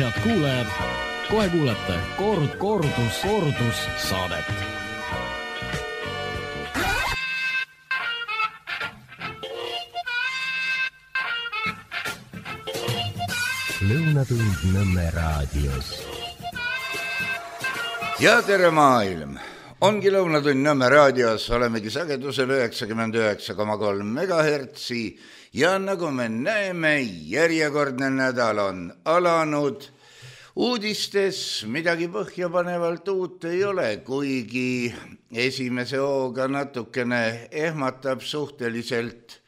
Head kuulajad, kohe kuulete kordus saadet. Lõunatund Nõmme raadios. Ja tere maailm! Ongi Lõunatund Nõmme raadios, olemegi sagedusel 99,3 MHz ja nagu me näeme, järjekordne nädal on alanud. Uudistes midagi põhjapanevalt uut ei ole, kuigi esimese hooga natukene ehmatab suhteliselt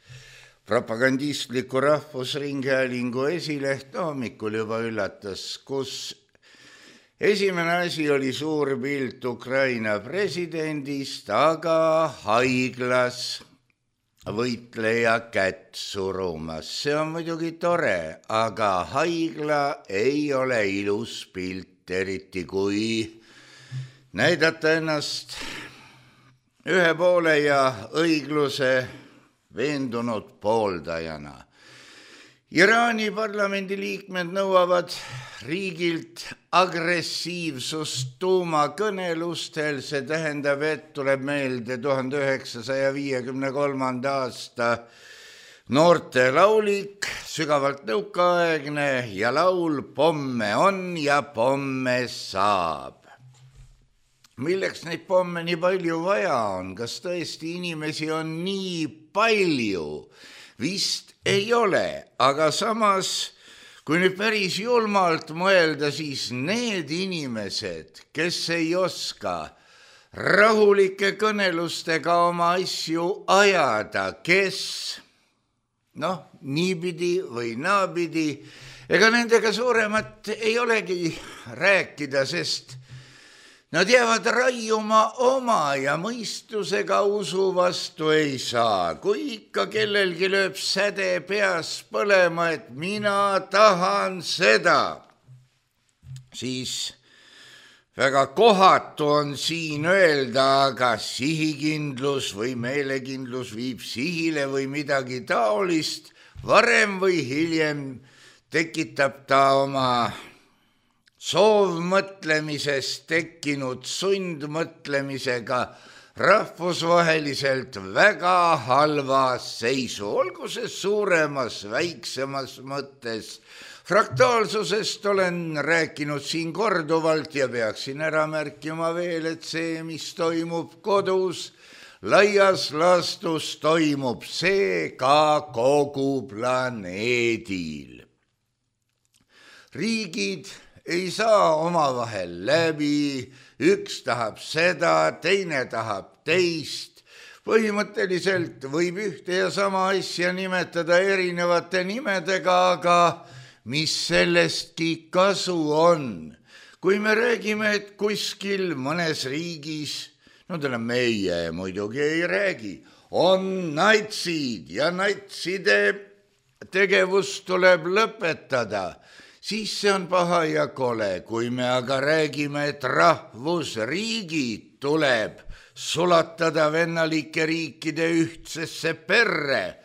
propagandistliku Rahvusringhäälingu esileht hommikul juba üllatas, kus esimene asi oli suur pilt Ukraina presidendist, aga haiglas võitleja kätt surumas. See on muidugi tore, aga haigla ei ole ilus pilt, eriti kui näidata ennast ühe poole ja õigluse veendunud pooldajana. Iraani parlamendi liikmed nõuavad riigilt agressiivsust tuumakõnelustel, see tähendab, et tuleb meelde 1953. aasta noorte laulik, sügavalt nõukaaegne ja laul Pomme on ja pomme saab. Milleks neid pomme nii palju vaja on? Kas tõesti inimesi on nii palju? Vist ei ole, aga samas, kui nüüd päris julmalt mõelda, siis need inimesed, kes ei oska rahulike kõnelustega oma asju ajada, kes niipidi või naapidi, ega nendega suuremat ei olegi rääkida, sest nad jäävad raiuma oma ja mõistusega usu vastu ei saa. Kui ikka kellelgi lööb säde peas põlema, et mina tahan seda, siis väga kohatu on siin öelda, aga sihikindlus või meelekindlus viib sihile või midagi taolist. Varem või hiljem tekitab ta oma soovmõtlemisest tekkinud sundmõtlemisega rahvusvaheliselt väga halva seisu, olgu see suuremas, väiksemas mõttes. Fraktaalsusest olen rääkinud siin korduvalt ja peaksin ära märkima veel, et see, mis toimub kodus, laias laastus toimub see ka kogu planeedil. Riigid ei saa omavahel läbi, üks tahab seda, teine tahab teist. Põhimõtteliselt võib ühte ja sama asja nimetada erinevate nimedega, aga mis sellestki kasu on? Kui me räägime, et kuskil mõnes riigis, meie muidugi ei räägi, on natsid ja natside tegevus tuleb lõpetada, siis see on paha ja kole. Kui me aga räägime, et rahvusriigid tuleb sulatada vennalike riikide ühtsesse perre,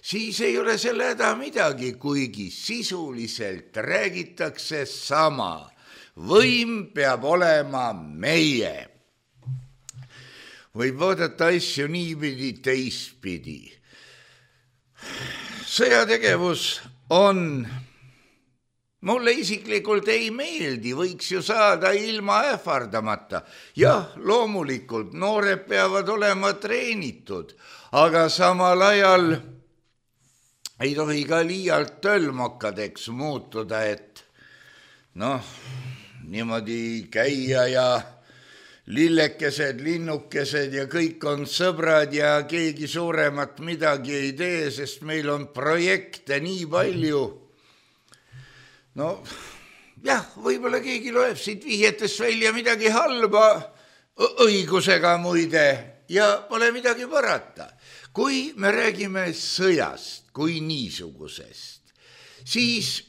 siis ei ole selle häda midagi, kuigi sisuliselt räägitakse sama. Võim peab olema meie. Võib vaadata asju niipidi, teistpidi. Sõjategevus on mulle isiklikult ei meeldi, võiks ju saada ilma ähvardamata. Jah, loomulikult, noored peavad olema treenitud, aga samal ajal ei tohi ka liialt tölmokadeks muutuda, et niimoodi käia ja lillekesed, linnukesed ja kõik on sõbrad ja keegi suuremat midagi ei tee, sest meil on projekte nii palju. Võib-olla keegi loeb siit vihjetest välja midagi halba, õigusega muide, ja pole midagi parata. Kui me räägime sõjast kui niisugusest, siis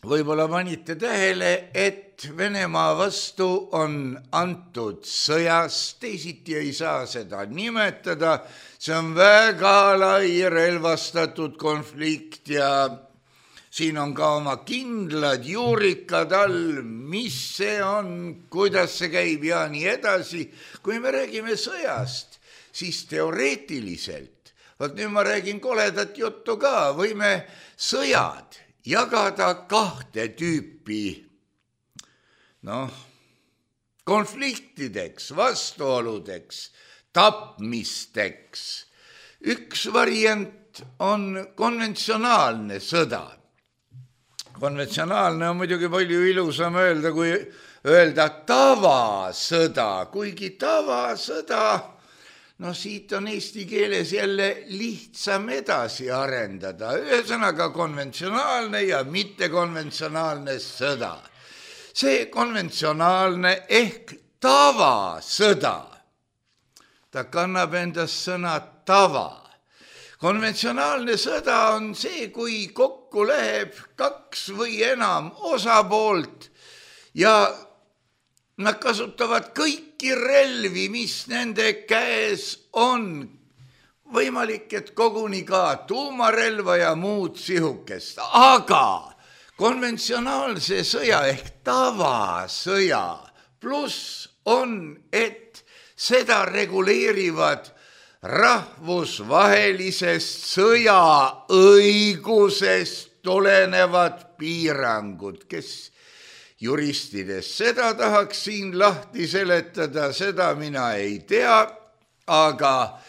võib-olla panite tähele, et Venemaa vastu on antud sõjas, teisiti ei saa seda nimetada, see on väga lai relvastatud konflikt ja siin on ka oma kindlad juurikad all, mis see on, kuidas see käib ja nii edasi. Kui me räägime sõjast, siis teoreetiliselt, vot nüüd ma räägin koledat juttu ka, võime sõjad jagada kahte tüüpi, konfliktideks, vastuoludeks, tapmisteks. Üks variant on konventsionaalne sõda. Konventsionaalne on muidugi palju ilusam öelda, kui öelda tavasõda, kuigi tavasõda, siit on eesti keeles jälle lihtsam edasi arendada. Ühesõnaga konventsionaalne ja mittekonventsionaalne sõda. See konventsionaalne ehk tavasõda, ta kannab endast sõna tava. Konventsionaalne sõda on see, kui kokku läheb 2 või enam osapoolt ja nad kasutavad kõiki relvi, mis nende käes on. Võimalik, et koguni ka tuumarelva ja muud sihukest, aga konventsionaalse sõja ehk tavasõja pluss on, et seda reguleerivad rahvusvahelisest sõjaõigusest tulenevad piirangud, kes juristidest seda tahaks siin lahti seletada, seda mina ei tea, aga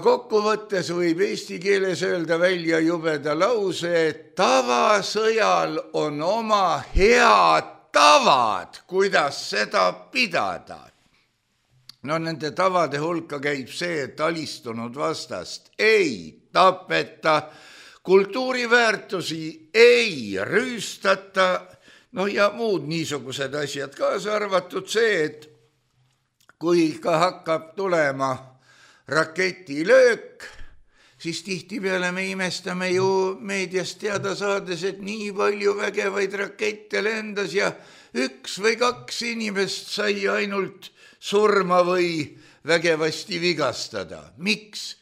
kokkuvõttes võib eesti keeles öelda välja jubeda lause, et tavasõjal on oma head tavad, kuidas seda pidada. Nende tavade hulka käib see, et alistunud vastast ei tapeta, kultuuriväärtusi ei rüüstata, ja muud niisugused asjad, kaasa arvatud see, et kui ka hakkab tulema raketilöök, siis tihtipeale me imestame ju meediast teada saades, et nii palju vägevaid rakette lendas ja 1 või 2 inimest sai ainult surma või vägevasti vigastada. Miks?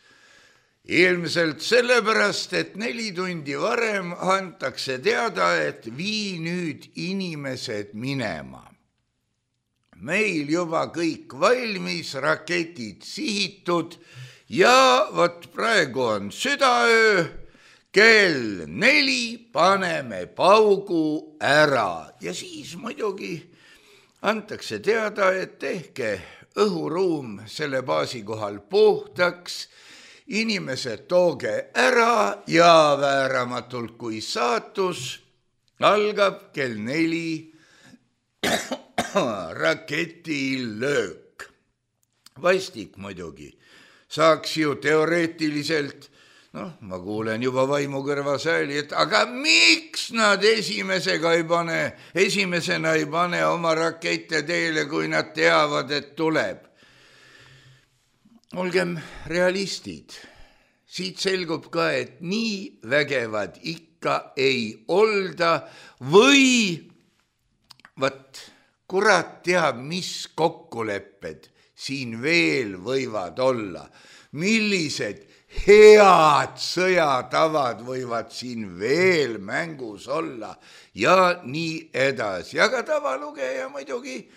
Ilmselt sellepärast, et 4 tundi varem antakse teada, et vii nüüd inimesed minema. Meil juba kõik valmis, raketid sihitud ja vot praegu on südaöö, kell 4 paneme paugu ära ja siis muidugi antakse teada, et tehke õhuruum selle baasi kohal puhtaks, inimesed tooge ära ja vääramatult kui saatus algab kell 4 raketilöök. Vastik muidugi, saaks ju teoreetiliselt, ma kuulen juba vaimukõrva sääli, et aga miks nad esimesena ei pane oma rakette teele, kui nad teavad, et tuleb? Olgem realistid. Siit selgub ka, et nii vägevad ikka ei olda või kurat teab, mis kokkulepped siin veel võivad olla. Millised head sõjatavad võivad siin veel mängus olla ja nii edasi. Aga tavalugeja muidugi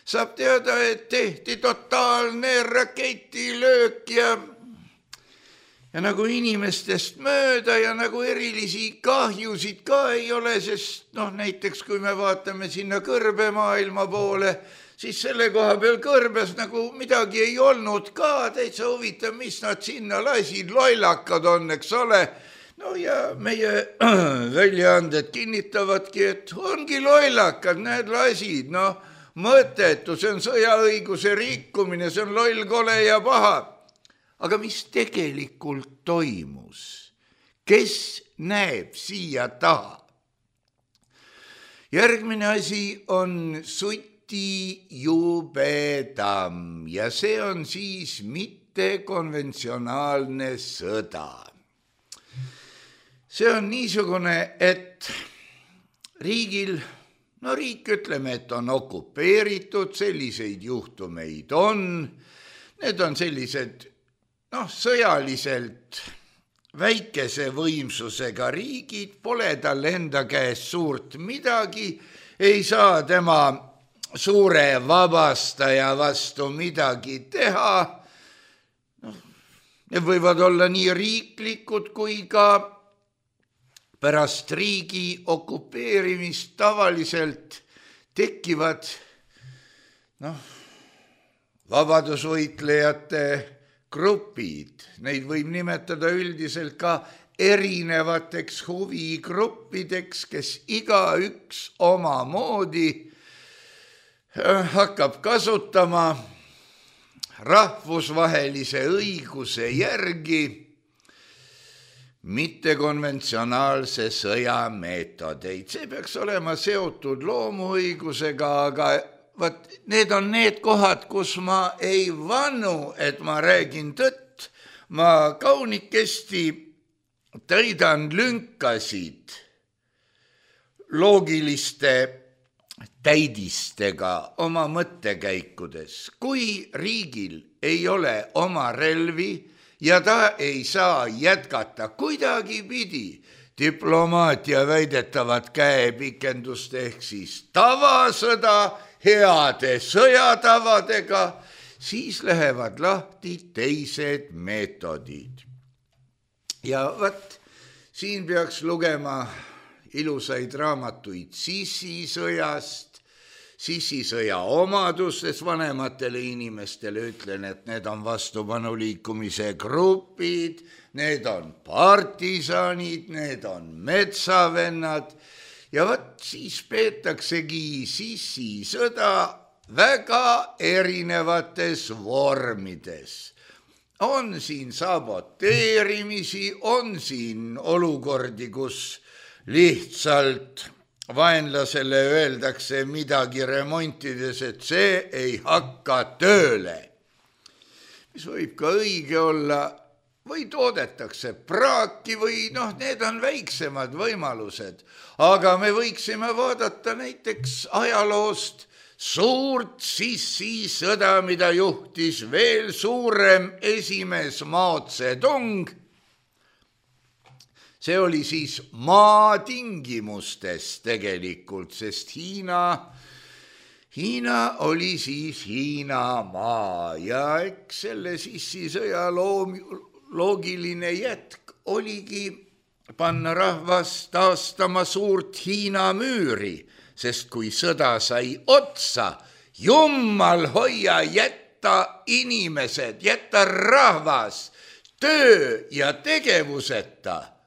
saab teada, et tehti totaalne raketilöök ja nagu inimestest mööda ja nagu erilisi kahjusid ka ei ole, sest näiteks kui me vaatame sinna kõrbemaailma poole, siis selle koha peal kõrbes nagu midagi ei olnud ka, täitsa huvitav, mis nad sinna lasid, lollakad on, eks ole. Ja meie väljaanded kinnitavadki, et ongi lollakad, need lasid, mõttetu, see on sõjaõiguse rikkumine, see on loll, kole ja paha. Aga mis tegelikult toimus? Kes näeb siia taha? Järgmine asi on sutijubedam ja see on siis mittekonventsionaalne sõda. See on niisugune, et riigil, riik ütleme, et on okupeeritud, selliseid juhtumeid on, need on sellised sõjaliselt väikese võimsusega riigid, pole tal enda käes suurt midagi, ei saa tema suure vabastaja vastu midagi teha. Need võivad olla nii riiklikud kui ka pärast riigi okupeerimist tavaliselt tekivad vabadusvõitlejate grupid. Neid võib nimetada üldiselt ka erinevateks huvigruppideks, kes igaüks omamoodi hakkab kasutama rahvusvahelise õiguse järgi mittekonventsionaalse sõja meetodeid. See peaks olema seotud loomuõigusega, aga need on need kohad, kus ma ei vannu, et ma räägin tõtt. Ma kaunikesti täidan lünkasid loogiliste täidistega oma mõttekäikudes. Kui riigil ei ole oma relvi ja ta ei saa jätkata kuidagipidi diplomaatia väidetavat käepikendust ehk siis tavasõda heade sõjatavadega, siis lähevad lahti teised meetodid. Ja siin peaks lugema ilusaid raamatuid sissisõjast, sissisõja omadustes vanematele inimestele ütlen, et need on vastupanuliikumise grupid, need on partisanid, need on metsavennad ja siis peetaksegi sissisõda väga erinevates vormides. On siin saboteerimisi, on siin olukordi, kus lihtsalt vaenlasele öeldakse midagi remontides, et see ei hakka tööle. Mis võib ka õige olla, või toodetakse praaki või need on väiksemad võimalused. Aga me võiksime vaadata näiteks ajaloost suurt sissisõda, mida juhtis veel suurem esimees Mao Zedong. See oli siis maa tingimustes tegelikult, sest Hiina oli siis Hiina maa ja eks selle sissisõja loogiline jätk oligi panna rahvas taastama suurt Hiina müüri, sest kui sõda sai otsa, jummal hoia, jätta inimesed, jätta rahvas töö ja tegevuseta.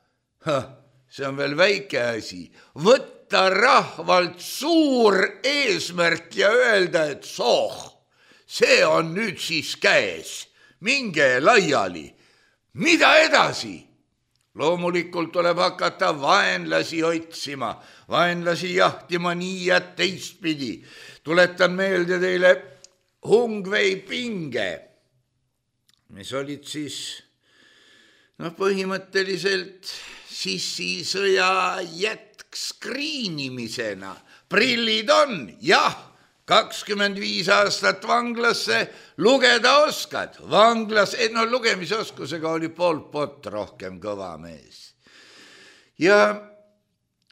See on veel väike asi. Võtta rahvalt suur eesmärk ja öelda, et see on nüüd siis käes. Minge laiali. Mida edasi? Loomulikult tuleb hakata vaenlasi otsima, vaenlasi jahtima nii ja teistpidi. Tuletan meelde teile Hungvei pinge, mis olid siis põhimõtteliselt sissisõja jätk skriinimisena. Prillid on, jah, 25 aastat vanglasse, lugeda oskad. Vanglas, lugemisoskusega oli Pol Pot rohkem kõva mees. Ja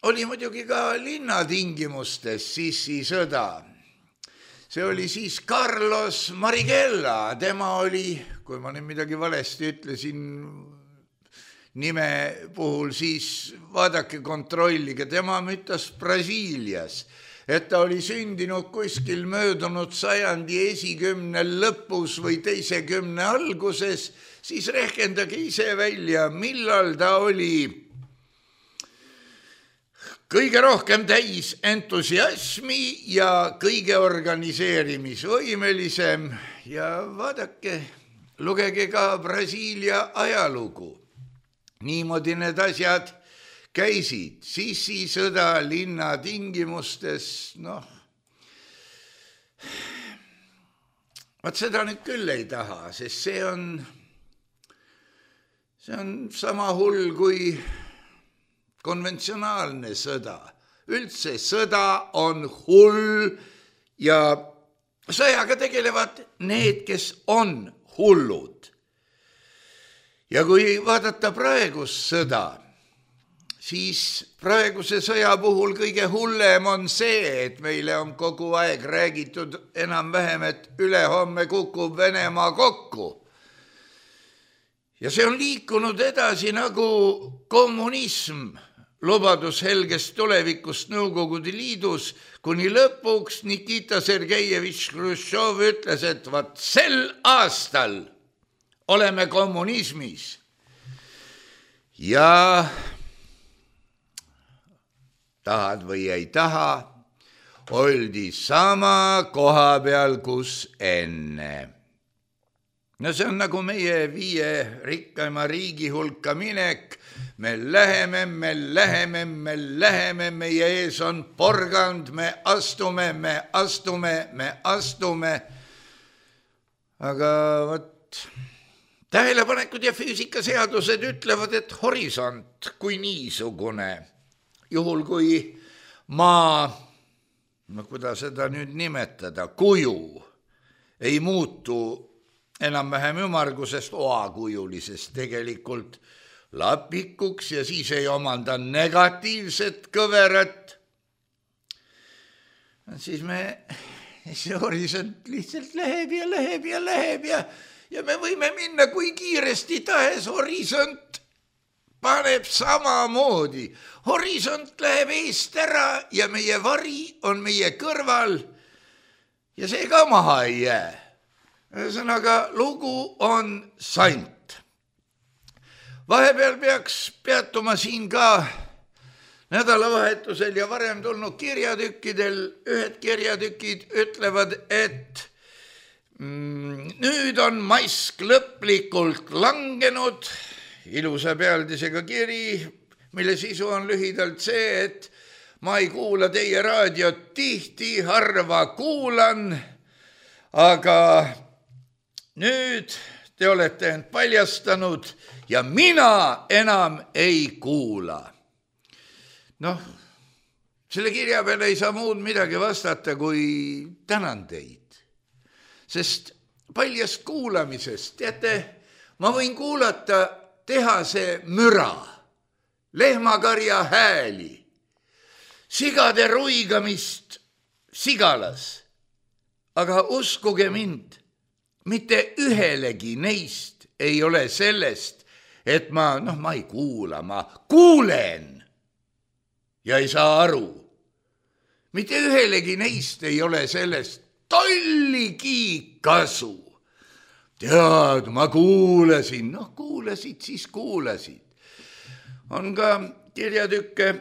oli muidugi ka linnatingimustes sissisõda. See oli siis Carlos Marighella, tema oli, kui ma nüüd midagi valesti ütlesin nime puhul, siis vaadake, kontrollige, tema mütas Brasiilias, et ta oli sündinud kuskil möödunud sajandi esikümnel lõpus või teise kümne alguses, siis rehkendage ise välja, millal ta oli kõige rohkem täis entusiasmi ja kõige organiseerimisvõimelisem ja vaadake, lugege ka Brasiilia ajalugu. Niimoodi need asjad käisid, sissisõda linna tingimustes, seda nüüd küll ei taha, sest see on sama hull kui konventsionaalne sõda. Üldse sõda on hull ja sõjaga tegelevad need, kes on hullud. ja kui vaadata praegust sõda, siis praeguse sõja puhul kõige hullem on see, et meile on kogu aeg räägitud enam-vähem, et ülehomme kukub Venemaa kokku. Ja see on liikunud edasi nagu kommunism, lubadus helgest tulevikust Nõukogude Liidus, kuni lõpuks Nikita Sergejevitš Hruštšov ütles, et vaat sel aastal oleme kommunismis. Ja tahad või ei taha, oldi sama koha peal, kus enne. No see on nagu meie 5 rikkaima riigi hulka minek. Me läheme, meie ees on porgand, me astume. Aga võt, tähelepanekud ja füüsikaseadused ütlevad, et horisont kui niisugune, juhul kui maa, no kuidas seda nüüd nimetada, kuju ei muutu enam-vähem ümmargusest oakujulisest tegelikult lapikuks ja siis ei omanda negatiivset kõverat, siis see horisont lihtsalt läheb ja me võime minna kui kiiresti tahes, horisont paneb samamoodi. Horisont läheb eest ära ja meie vari on meie kõrval ja see ka maha ei jää. Ühesõnaga, lugu on sant. Vahepeal peaks peatuma siin ka nädalavahetusel ja varem tulnud kirjatükkidel. Ühed kirjatükid ütlevad, et nüüd on mask lõplikult langenud. Ilusa pealdisega kiri, mille sisu on lühidalt see, et ma ei kuula teie raadiot tihti, harva kuulan, aga nüüd te olete end paljastanud ja mina enam ei kuula. Noh, selle kirja peale ei saa muud midagi vastata, kui tänan teid. Sest paljast kuulamisest, teate, ma võin kuulata tehase müra, lehmakarja hääli, sigade ruigamist sigalas, aga uskuge mind, mitte ühelegi neist ei ole sellest, et ma ei kuula, ma kuulen ja ei saa aru. Mitte ühelegi neist ei ole sellest tolligi kasu. Tead, ma kuulasin, kuulasid, siis kuulasid. On ka kirjatükke,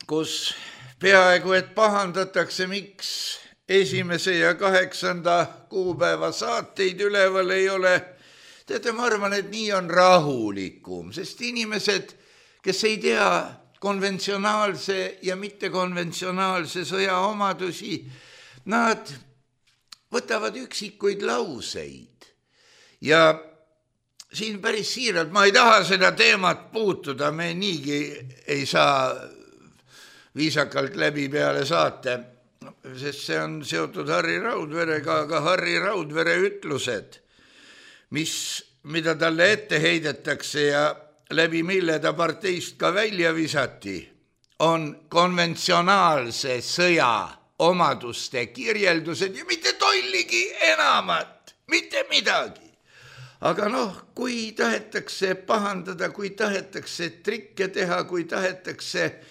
kus peaaegu et pahandatakse, miks 1. ja 8. kuupäeva saateid üleval ei ole. Teate, ma arvan, et nii on rahulikum, sest inimesed, kes ei tea konventsionaalse ja mittekonventsionaalse sõja omadusi, nad võtavad üksikuid lauseid. Ja siin päris siiralt, ma ei taha seda teemat puutuda, me niigi ei saa viisakalt läbi peale saate, sest see on seotud Harri Raudverega, aga Harri Raudvere ütlused, mida talle ette heidetakse ja läbi mille ta parteist ka välja visati, on konventsionaalse sõja omaduste kirjeldused ja mitte tolligi enamat, mitte midagi. Aga kui tahetakse pahandada, kui tahetakse trikke teha, kui tahetakse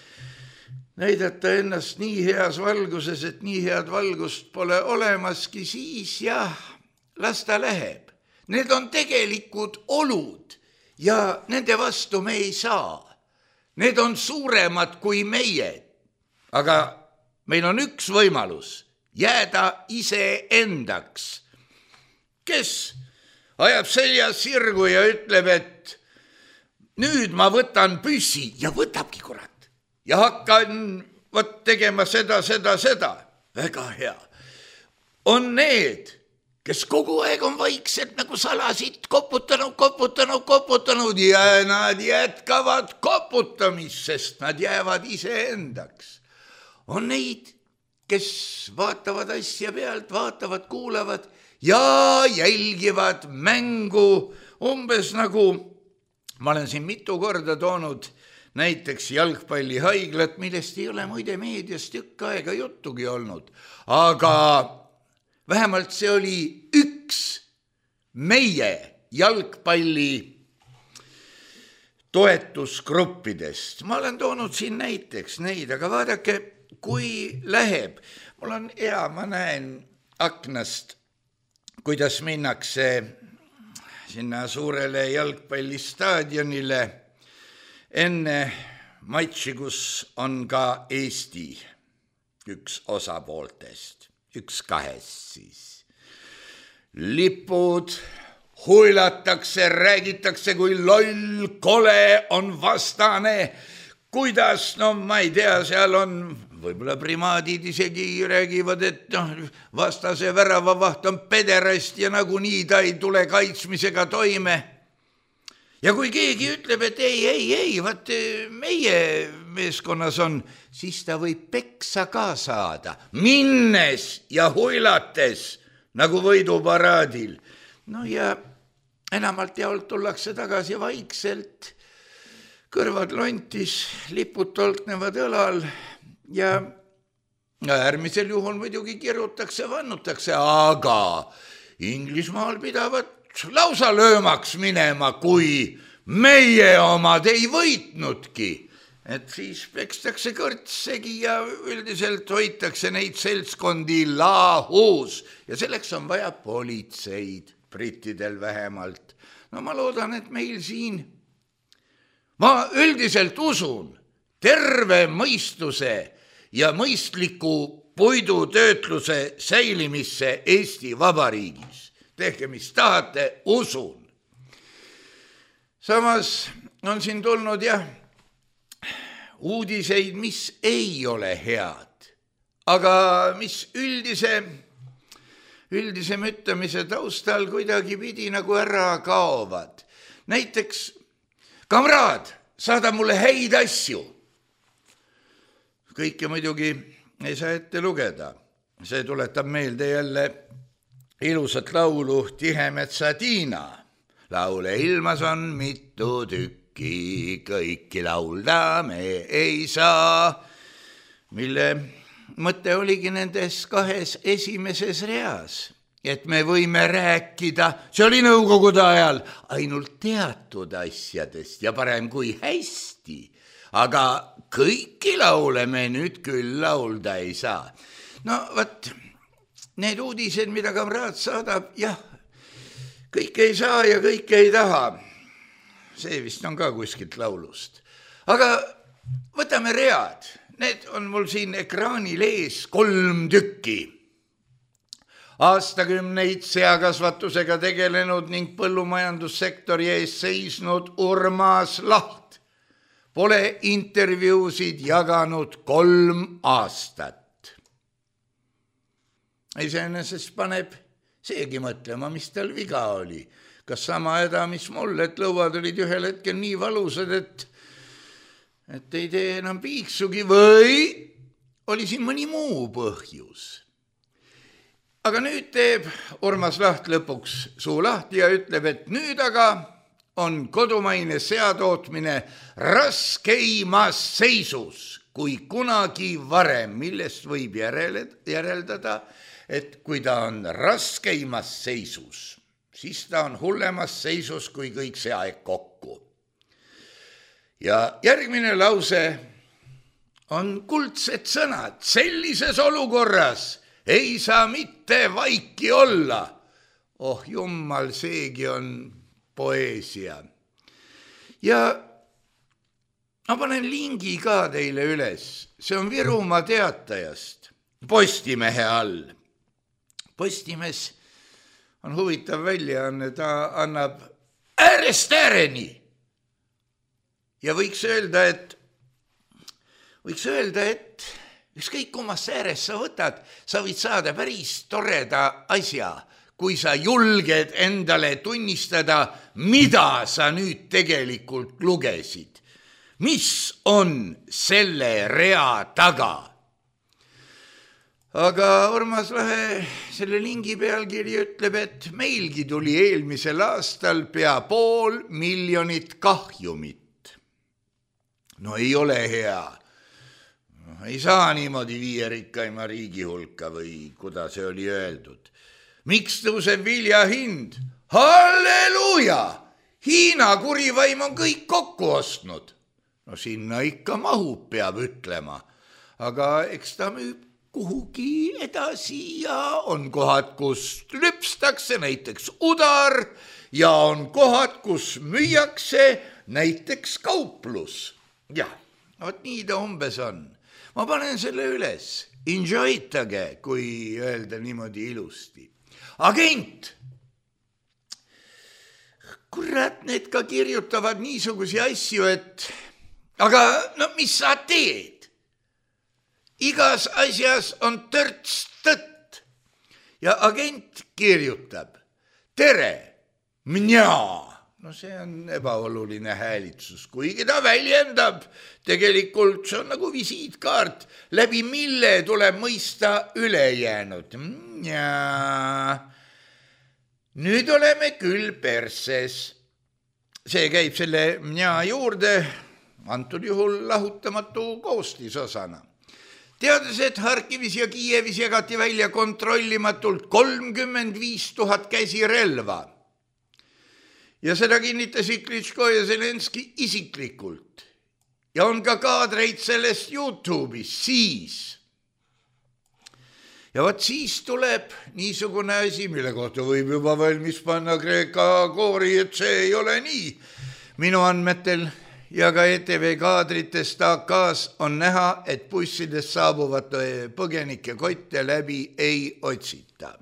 näidata ennast nii heas valguses, et nii head valgust pole olemaski, siis jah, las ta läheb. Need on tegelikud olud ja nende vastu me ei saa. Need on suuremad kui meie. Aga meil on üks võimalus, jääda iseendaks. Kes ajab seljas sirgu ja ütleb, et nüüd ma võtan püssi ja võtabki kurat ja hakkan tegema seda. Väga hea. On need, kes kogu aeg on vaikselt nagu salasid koputanud ja nad jätkavad koputamist, sest nad jäävad iseendaks. On neid, kes vaatavad asja pealt, vaatavad, kuulavad ja jälgivad mängu umbes nagu ma olen siin mitu korda toonud näiteks jalgpallihaiglat, millest ei ole muide meedias tükk aega juttugi olnud, aga vähemalt see oli üks meie jalgpalli toetusgruppidest. Ma olen toonud siin näiteks neid, aga vaadake, kui läheb, mul on hea, ma näen aknast, kuidas minnakse sinna suurele jalgpallistaadionile enne matši, kus on ka Eesti üks osapooltest, üks kahest siis. Lipud huilatakse, räägitakse, kui loll, kole on vastane, kuidas, no ma ei tea, seal on võib-olla primaadid isegi räägivad, et vastase väravavaht on pederast ja nagunii ta ei tule kaitsmisega toime. Ja kui keegi ütleb, et ei, vaat meie meeskonnas on, siis ta võib peksa ka saada, minnes ja huilates nagu võiduparaadil. No ja enamalt jaolt tullakse tagasi vaikselt, kõrvad lontis, lipud tolknevad õlal ja äärmisel juhul muidugi kirutakse, vannutakse, aga Inglismaal pidavat lausa löömaks minema, kui meie omad ei võitnudki. Et siis pekstakse kõrtsegi ja üldiselt hoitakse neid seltskondi lahus ja selleks on vaja politseid, brittidel vähemalt. No ma loodan, et meil siin, ma üldiselt usun terve mõistuse ja mõistliku puidutöötluse säilimisse Eesti Vabariigis. Tehke, mis tahate, usun. Samas on siin tulnud uudiseid, mis ei ole head, aga mis üldise müttamise taustal kuidagi pidi nagu ära kaovad. Näiteks, kamraad, saada mulle häid asju. Kõike muidugi ei saa ette lugeda. See tuletab meelde jälle ilusat laulu Tihemetsa Tiina. Laule ilmas on mitu tükki, kõiki laulda me ei saa, mille mõte oligi nendes kahes esimeses reas, et me võime rääkida, see oli nõukogude ajal, ainult teatud asjadest ja parem kui hästi, aga kõiki laule me nüüd küll laulda ei saa. No võt, need uudised, mida kamraad saadab, kõike ei saa ja kõike ei taha. See vist on ka kuskilt laulust. Aga võtame read. Need on mul siin ekraanil ees 3 tükki. Aastakümneid seakasvatusega tegelenud ning põllumajandussektori ees seisnud Urmas Laht pole intervjuusid jaganud 3 aastat. Iseenesest paneb seegi mõtlema, mis tal viga oli. Kas sama häda, mis mul, et lõuad olid ühel hetkel nii valusad, et ei tee enam piiksugi või oli siin mõni muu põhjus. Aga nüüd teeb Urmas Laht lõpuks suu lahti ja ütleb, et nüüd aga on kodumaine seatootmine raskeimas seisus kui kunagi varem, millest võib järeldada, et kui ta on raskeimas seisus, siis ta on hullemas seisus kui kõik see aeg kokku. Ja järgmine lause on kuldsed sõnad. Sellises olukorras ei saa mitte vaiki olla. Oh jummal, seegi on poeesia. Ja ma panen lingi ka teile üles. See on Virumaa Teatajast, Postimehe all. Postimees on huvitav väljaanne, ta annab äärest ääreni. Ja võiks öelda, et ükskõik kummas äärest sa võtad, sa võid saada päris toreda asja, kui sa julged endale tunnistada, mida sa nüüd tegelikult lugesid. Mis on selle rea taga? aga Urmas Lahe selle lingi pealkiri ütleb, et meilgi tuli eelmisel aastal pea 500 000 kahjumit. No ei ole hea. Ei saa niimoodi 5 rikkaima riigi hulka või kuidas see oli öeldud. Miks tõuseb vilja hind? Halleluuja! Hiina kurivaim on kõik kokku ostnud. No sinna ikka mahub, peab ütlema. Aga eks ta müüb kuhugi edasi ja on kohad, kus lüpstakse näiteks udar ja on kohad, kus müüakse näiteks kauplus. Jah, vot nii ta umbes on. Ma panen selle üles. Enjoytage, kui öelda niimoodi ilusti. Agent! Kurat, need ka kirjutavad niisuguse asju, et aga no mis sa teed? Igas asjas on törts tõtt. Ja agent kirjutab. Tere, mnjaa. No see on ebaoluline häälitsus, kuigi ta väljendab. Tegelikult see on nagu visiitkaart, läbi mille tuleb mõista ülejäänud. Mnjaa. Nüüd oleme küll perses. See käib selle mnjaa juurde, antud juhul lahutamatu koostisosana. Teades, et Harkivis ja Kiievis jagati välja kontrollimatult 35 000 käsirelva. Ja seda kinnitasid Klitschko ja Zelenski isiklikult. Ja on ka kaadreid sellest YouTube'is siis. Ja vaat siis tuleb niisugune asi, mille kohta võib juba valmis panna Kreeka koori, et see ei ole nii. Minu andmetel ja ka ETV kaadritest AK-s on näha, et bussidest saabuvate põgenike kotte läbi ei otsita.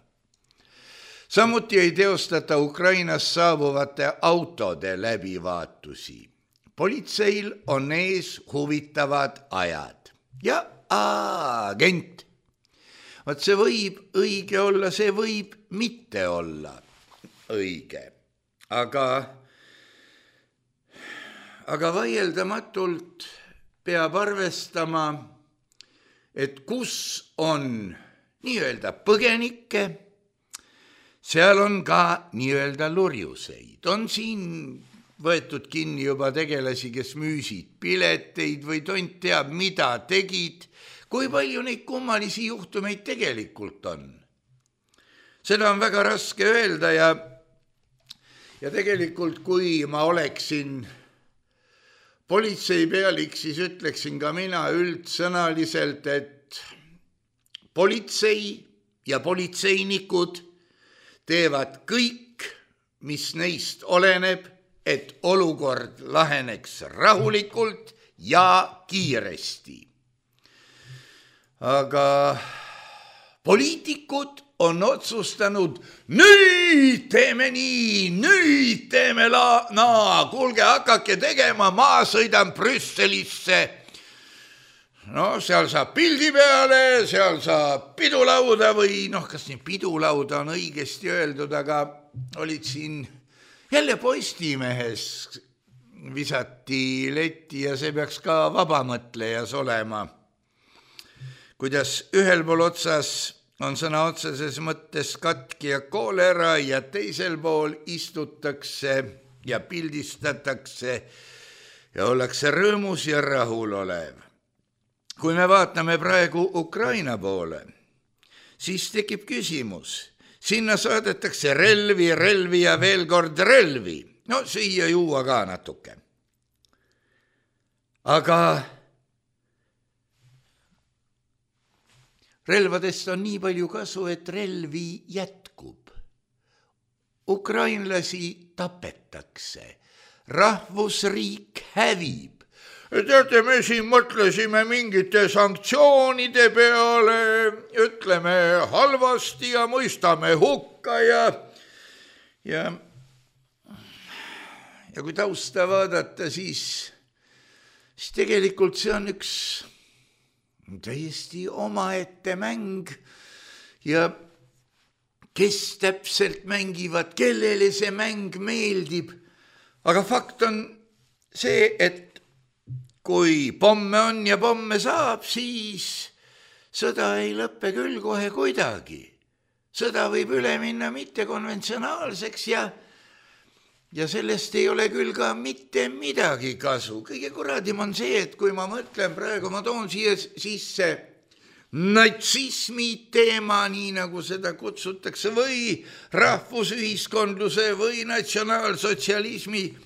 Samuti ei teostata Ukrainas saabuvate autode läbivaatusi. Politseil on ees huvitavad ajad. Ja agent. Vaat see võib õige olla, see võib mitte olla õige. Aga vaieldamatult peab arvestama, et kus on nii-öelda põgenikke, seal on ka nii-öelda lurjuseid. On siin võetud kinni juba tegelasi, kes müüsid pileteid või tont teab, mida tegid, kui palju neid kummalisi juhtumeid tegelikult on. Seda on väga raske öelda ja tegelikult, kui ma oleksin politseipealik, siis ütleksin ka mina üldsõnaliselt, et politsei ja politseinikud teevad kõik, mis neist oleneb, et olukord laheneks rahulikult ja kiiresti. Aga poliitikud on otsustanud, nüüd teeme nii, nüüd teeme kuulge, hakake tegema, ma sõidan Brüsselisse. No seal saab pildi peale, seal saab pidulauda või kas nii pidulauda on õigesti öeldud, aga olid siin jälle Postimehes visati letti ja see peaks ka vabamõtlejas olema. Kuidas ühel pool otsas on sõna otseses mõttes katki ja koolera ja teisel pool istutakse ja pildistatakse ja ollakse rõõmus ja rahulolev. Kui me vaatame praegu Ukraina poole, siis tekib küsimus. Sinna saadetakse relvi ja veel kord relvi. No siia juua ka natuke. Aga relvadest on nii palju kasu, et relvi jätkub. Ukrainlasi tapetakse. Rahvusriik hävib. Teate, me siin mõtlesime mingite sanktsioonide peale, ütleme halvasti ja mõistame hukka ja kui tausta vaadata, siis tegelikult see on üks täiesti omaette mäng ja kes täpselt mängivad, kellele see mäng meeldib. Aga fakt on see, et kui pomme on ja pomme saab, siis sõda ei lõppe küll kohe kuidagi. Sõda võib üle minna mittekonventsionaalseks ja sellest ei ole küll ka mitte midagi kasu. Kõige kuradim on see, et kui ma mõtlen praegu, ma toon siia sisse natsismi teema, nii nagu seda kutsutakse, või rahvusühiskondluse või natsionaalsotsialismi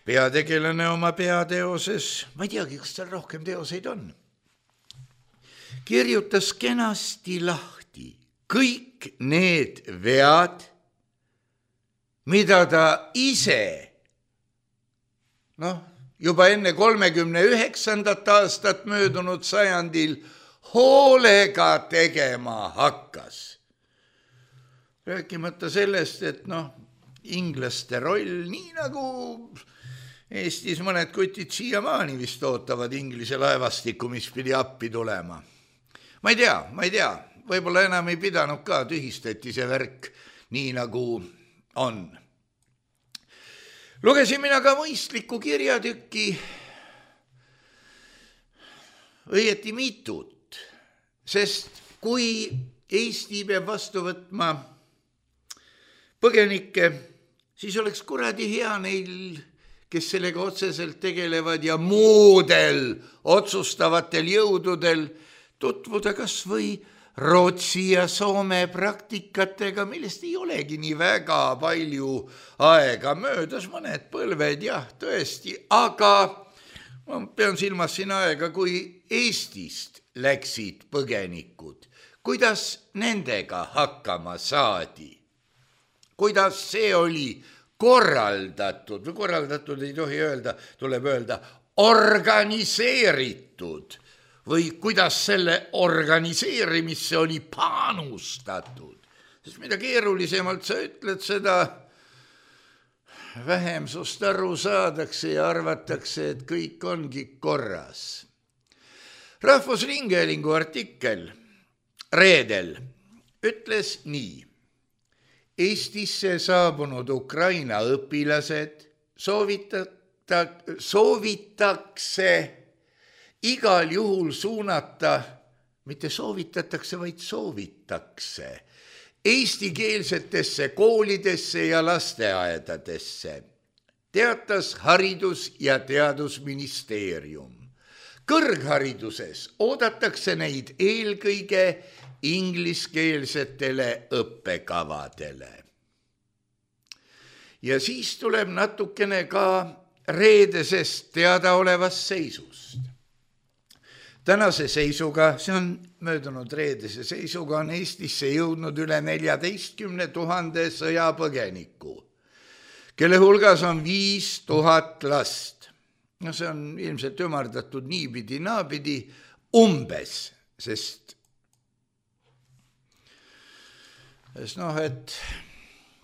peategelane oma peateoses, ma ei teagi, kas tal rohkem teoseid on, kirjutas kenasti lahti kõik need vead, mida ta ise, juba enne 39. aastat möödunud sajandil hoolega tegema hakkas. Rääkimata sellest, et inglaste roll, nii nagu Eestis mõned kutid siiamaani vist ootavad Inglise laevastikku, mis pidi appi tulema. Ma ei tea, võib-olla enam ei pidanud ka, tühistati see värk nii nagu on. Lugesin mina ka mõistliku kirjatükki, õieti mitut, sest kui Eesti peab vastu võtma põgenikke, siis oleks kuradi hea neil, kes sellega otseselt tegelevad ja muudel otsustavatel jõududel tutvuda kas või Rootsi ja Soome praktikatega, millest ei olegi nii väga palju aega möödas, mõned põlved, jah, tõesti, aga ma pean silmas siin aega, kui Eestist läksid põgenikud, kuidas nendega hakkama saadi, kuidas see oli korraldatud, või korraldatud ei tohi öelda, tuleb öelda organiseeritud, või kuidas selle organiseerimisse oli panustatud. Sest mida keerulisemalt sa ütled, seda vähem sust aru saadakse ja arvatakse, et kõik ongi korras. Rahvusringhäälingu artikkel reedel ütles nii. Eestisse saabunud Ukraina õpilased soovitakse igal juhul suunata, mitte soovitatakse, vaid soovitakse eestikeelsetesse koolidesse ja lasteaedadesse, teatas Haridus- ja Teadusministeerium. Kõrghariduses oodatakse neid eelkõige ingliskeelsetele õppekavadele. Ja siis tuleb natukene ka reedesest teadaolevast seisust. Tänase seisuga, see on möödunud reedese seisuga, on Eestisse jõudnud üle 14 000 sõjapõgeniku, kelle hulgas on 5000 last. See on ilmselt ümardatud niipidi, naapidi, umbes, sest et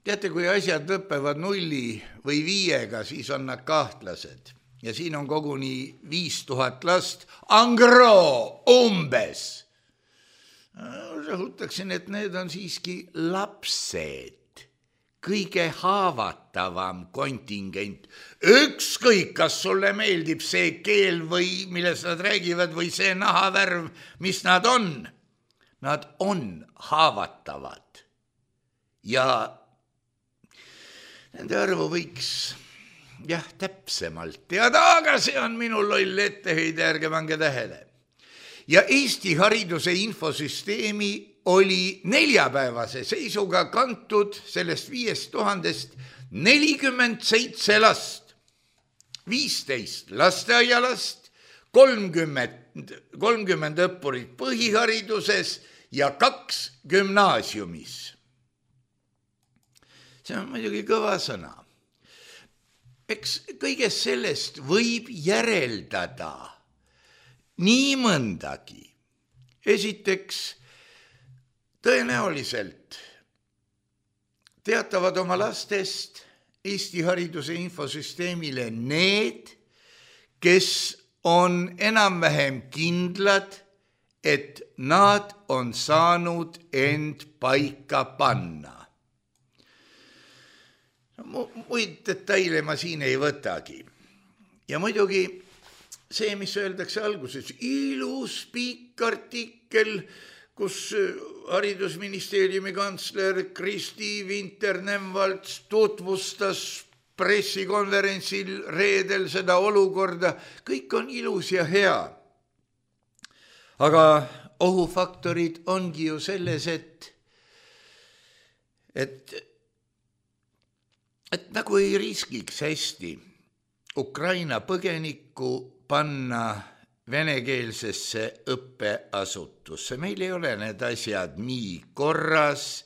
teate, kui asjad lõppevad 0 või 5, siis on nad kahtlased. Ja siin on koguni 5000 last, angro, umbes. Rõhutaksin, et need on siiski lapsed, kõige haavatavam kontingent. Ükskõik, kas sulle meeldib see keel või millest nad räägivad või see nahavärv, mis nad on haavatavad. Ja nende arvu võiks täpsemalt teada, aga see on minu loll etteheide, ärge pange tähele. Ja Eesti hariduse infosüsteemi oli neljapäevase seisuga kantud sellest 5000-st 47 last, 15 lasteaialast, 30 õppurit põhihariduses ja 2 gümnaasiumis. See on muidugi kõva sõna. Eks kõigest sellest võib järeldada nii mõndagi. Esiteks, tõenäoliselt teatavad oma lastest Eesti hariduse infosüsteemile need, kes on enam-vähem kindlad, et nad on saanud end paika panna. Muid detaile ma siin ei võtagi. Ja muidugi see, mis öeldakse alguses, ilus pikk artikkel, kus haridusministeeriumi kantsler Kristi Vinter-Nemvalts tutvustas pressikonverentsil reedel seda olukorda, kõik on ilus ja hea. Aga ohufaktorid ongi ju selles, et nagu ei riskiks hästi Ukraina põgenikku panna venekeelsesse õppeasutusse. Meil ei ole need asjad nii korras.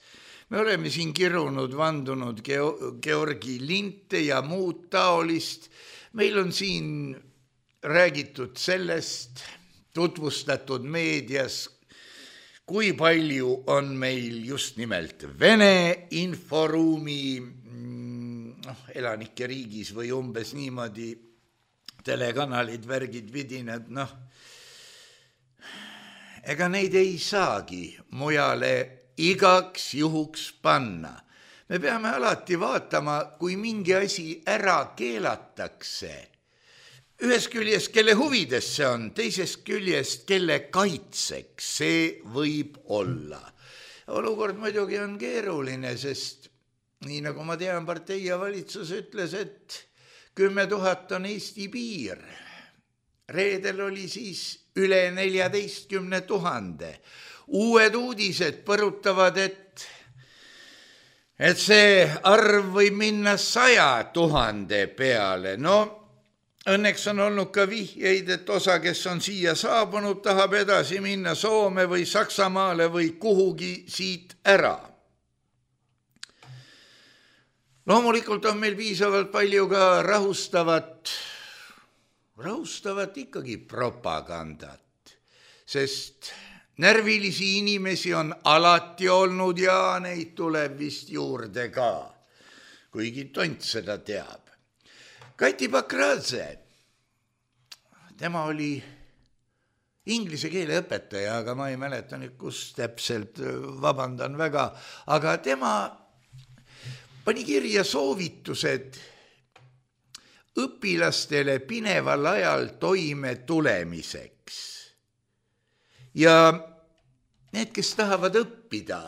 Me oleme siin kirunud, vandunud Georgi linte ja muud taolist. Meil on siin räägitud sellest, tutvustatud meedias, kui palju on meil just nimelt Vene inforuumi elanike riigis või umbes niimoodi telekanalid, värgid, vidinad, ega neid ei saagi mujale igaks juhuks panna. Me peame alati vaatama, kui mingi asi ära keelatakse. Ühest küljest, kelle huvides see on, teisest küljest, kelle kaitseks see võib olla. Olukord muidugi on keeruline, sest nii nagu ma tean, partei ja valitsus ütles, et 10 000 on Eesti piir. Reedel oli siis üle 14 000. Uued uudised põrutavad, et see arv võib minna 100 000 peale. Õnneks on olnud ka vihjeid, et osa, kes on siia saabunud, tahab edasi minna Soome või Saksamaale või kuhugi siit ära. Loomulikult on meil piisavalt palju ka rahustavat ikkagi propagandat, sest närvilisi inimesi on alati olnud ja neid tuleb vist juurde ka, kuigi tont seda teab. Kati Pakradze, tema oli inglise keele õpetaja, aga ma ei mäleta nüüd, kus täpselt, vabandan väga, aga tema pani kirja soovitused õpilastele pineval ajal toime tulemiseks. Ja need, kes tahavad õppida,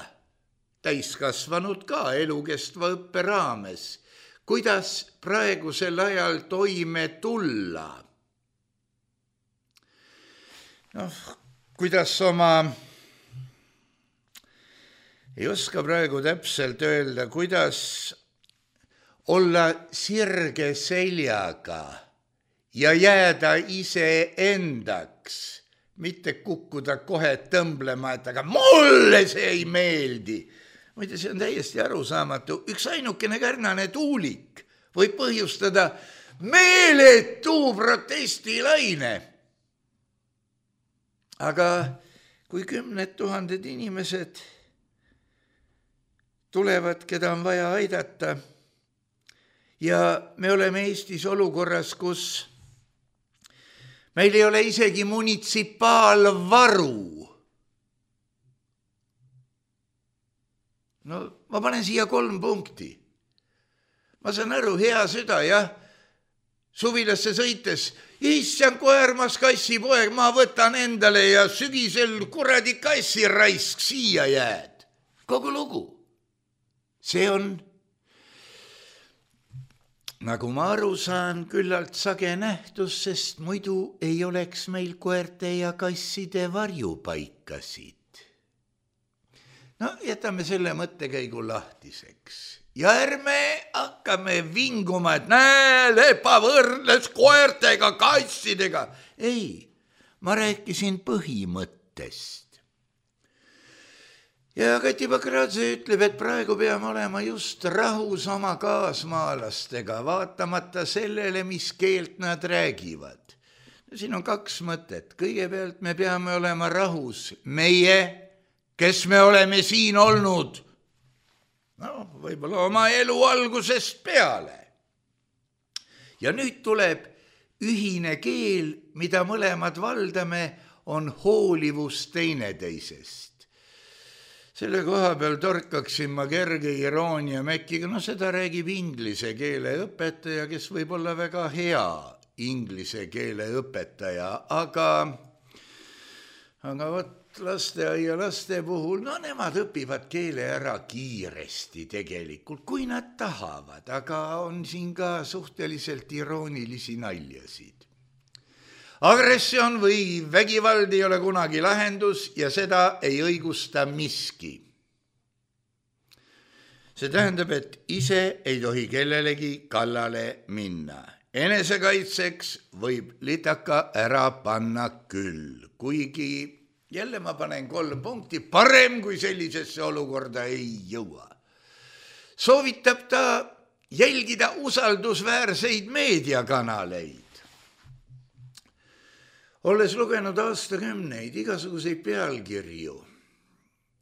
täiskasvanud ka elukestva õppe raames, kuidas praegusel ajal toime tulla. Kuidas ei oska praegu täpselt öelda, kuidas olla sirge seljaga ja jääda iseendaks, mitte kukkuda kohe tõmblema, et aga mulle see ei meeldi. Muide, see on täiesti arusaamatu. Üks ainukene kärnane tuulik võib põhjustada meeletu protestilaine. Aga kui 10 000 inimesed tulevad, keda on vaja aidata, ja me oleme Eestis olukorras, kus meil ei ole isegi munitsipaalvaru. Ma panen siia 3 punkti. Ma saan aru, hea süda, jah, suvilasse sõites, issand koermas kassipoeg, ma võtan endale ja sügisel kuradi kassiraisk siia jääd. Kogu lugu. See on, nagu ma aru saan, küllalt sage nähtus, sest muidu ei oleks meil koerte ja kasside varjupaikasid. Jätame selle mõttekäigu lahtiseks. Ja ärme hakkame vinguma, et Lepa võrdles koertega, kassidega. Ei, ma rääkisin põhimõttest. Ja Kati Pakradze ütleb, et praegu peame olema just rahus oma kaasmaalastega, vaatamata sellele, mis keelt nad räägivad. Siin on 2 mõtet. Kõigepealt me peame olema rahus meie, kes me oleme siin olnud, võib-olla oma elu algusest peale. Ja nüüd tuleb ühine keel, mida mõlemad valdame, on hoolivus teineteisest. Selle koha peal torkaksin ma kerge iroonia mäkkiga, seda räägib inglise keele õpetaja, kes võib olla väga hea inglise keele õpetaja, aga vot laste puhul, no nemad õpivad keele ära kiiresti tegelikult, kui nad tahavad, aga on siin ka suhteliselt iroonilisi naljasid. Agressioon või vägivald ei ole kunagi lahendus ja seda ei õigusta miski. See tähendab, et ise ei tohi kellelegi kallale minna. Enesekaitseks võib litaka ära panna küll, kuigi jälle ma panen 3 punkti, parem kui sellisesse olukorda ei jõua. Soovitab ta jälgida usaldusväärseid meediakanaleid. Olles lugenud aastakümneid igasuguseid pealkirju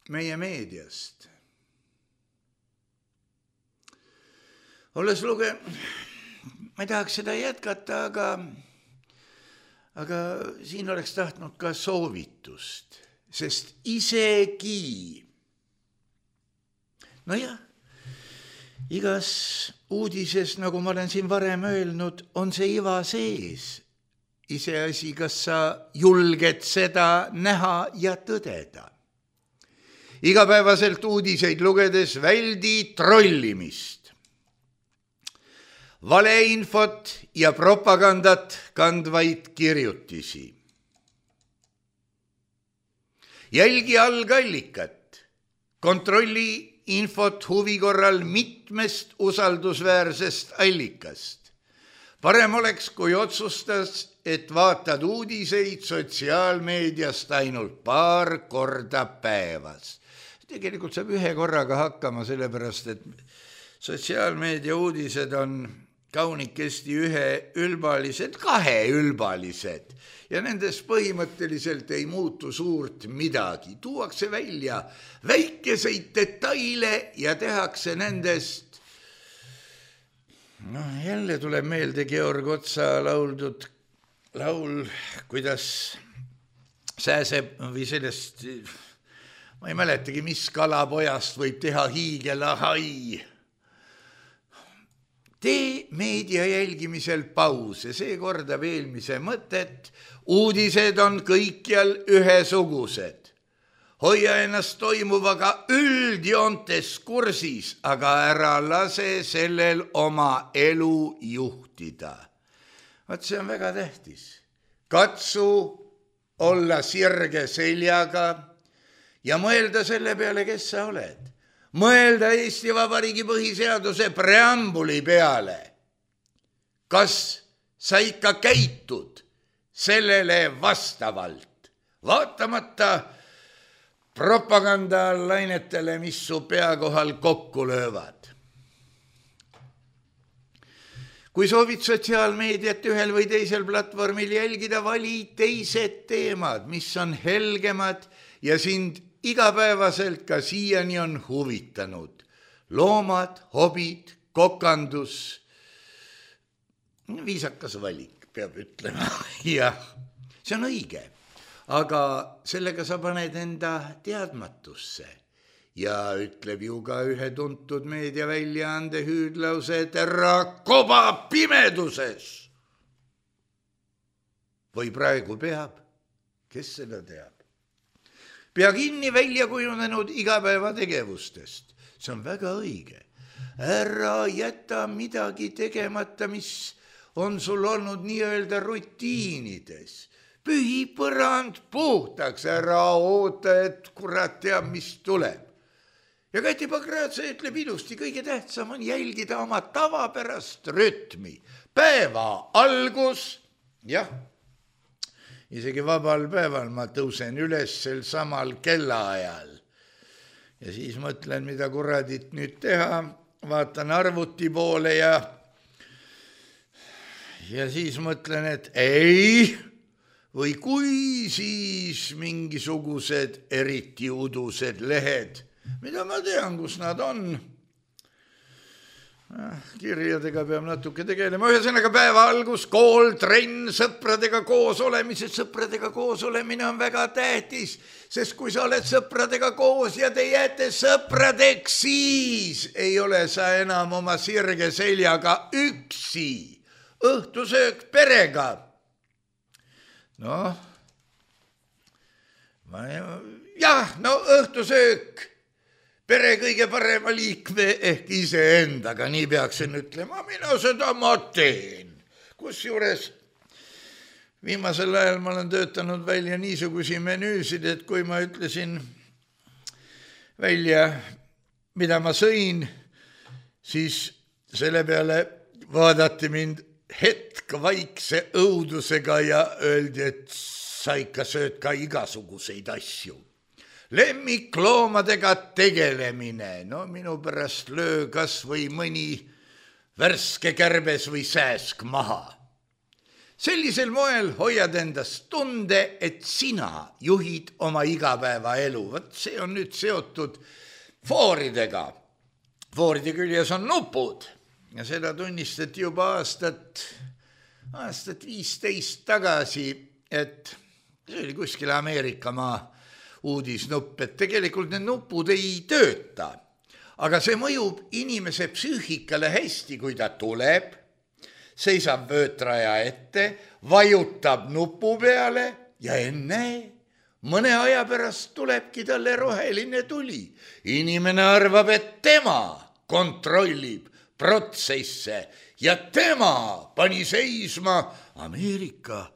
meie meediast, ma ei tahaks seda jätkata, aga siin oleks tahtnud ka soovitust, sest isegi, igas uudises, nagu ma olen siin varem öelnud, on see iva sees. Iseasi, kas sa julged seda näha ja tõdeda. Igapäevaselt uudiseid lugedes väldi trollimist, valeinfot ja propagandat kandvaid kirjutisi. Jälgi algallikat, kontrolli infot huvi korral mitmest usaldusväärsest allikast. Parem oleks, kui otsustas, et vaatad uudiseid sotsiaalmeediast ainult paar korda päevas. Tegelikult saab 1 korraga hakkama, sellepärast, et sotsiaalmeedia uudised on kaunikesti 1-ülbalised, 2-ülbalised ja nendest põhimõtteliselt ei muutu suurt midagi. Tuuakse välja väikeseid detaile ja tehakse nendest. Jälle tuleb meelde Georg Otsa lauldud laul, kuidas sääseb või sellest, ma ei mäletagi, mis kalapojast võib teha hiigelahai. Tee meedia jälgimisel pause, see kordab eelmise mõtet. Uudised on kõikjal ühesugused. Hoia ennast toimuvaga üldjoontes kursis, aga ära lase sellel oma elu juhtida. Vaat see on väga tähtis. Katsu olla sirge seljaga ja mõelda selle peale, kes sa oled. Mõelda Eesti Vabariigi põhiseaduse preambuli peale. Kas sa ikka käitud sellele vastavalt, vaatamata propagandalainetele, mis su pea kohal kokku löövad? Kui soovid sotsiaalmeediat ühel või teisel platvormil jälgida, vali teised teemad, mis on helgemad ja sind igapäevaselt ka siiani on huvitanud. Loomad, hobid, kokandus. Viisakas valik, peab ütlema. Jah, see on õige. Aga sellega sa paned enda teadmatusse. Ja ütleb ju ka ühe tuntud meediaväljaande hüüdlause, et ära koba pimeduses. Või praegu peab, kes seda teab? Pea kinni välja kujunenud igapäevategevustest. See on väga õige. Ära jäta midagi tegemata, mis on sul olnud nii-öelda rutiinides. Pühi põrand puhtaks, ära oota, et kurat teab, mis tuleb. Ja Kati Pakratsa ütleb ilusti, kõige tähtsam on jälgida oma tavapärast rütmi. Päeva algus, jah, isegi vabal päeval ma tõusen üles sel samal kellaajal. Ja siis mõtlen, mida kuradit nüüd teha, vaatan arvuti poole ja siis mõtlen, et ei, või kui siis mingisugused eriti udused lehed, mida ma tean, kus nad on. Kirjadega peab natuke tegelema. Ühesõnaga päeva algus, kool, trenn, sõpradega koos olemised. Sõpradega koos olemine on väga tähtis, sest kui sa oled sõpradega koos ja te jääte sõpradeks, siis ei ole sa enam oma sirge seljaga üksi. õhtusöök perega. Noh, õhtusöök pere kõige parema liikme ehk iseendaga, nii peaksin ütlema, mina seda ma teen. Kusjuures viimasel ajal ma olen töötanud välja niisugusi menüüsid, et kui ma ütlesin välja, mida ma sõin, siis selle peale vaadati mind hetk vaikse õudusega ja öeldi, et sa ikka sööd ka igasuguseid asju. Lemmikloomadega tegelemine, no minu pärast löö kas või mõni värske kärbes või sääsk maha. Sellisel moel hoiad endast tunde, et sina juhid oma igapäevaelu. Võt see on nüüd seotud fooridega. Fooride küljes on nupud ja seda tunnistati juba aastat 15 tagasi, et see oli kuskil Ameerikamaa uudisnupp, et tegelikult need nupud ei tööta, aga see mõjub inimese psüühikale hästi, kui ta tuleb, seisab vöötraja ette, vajutab nupu peale ja ennäe, mõne aja pärast tulebki talle roheline tuli. Inimene arvab, et tema kontrollib protsesse ja tema pani seisma. Ameerika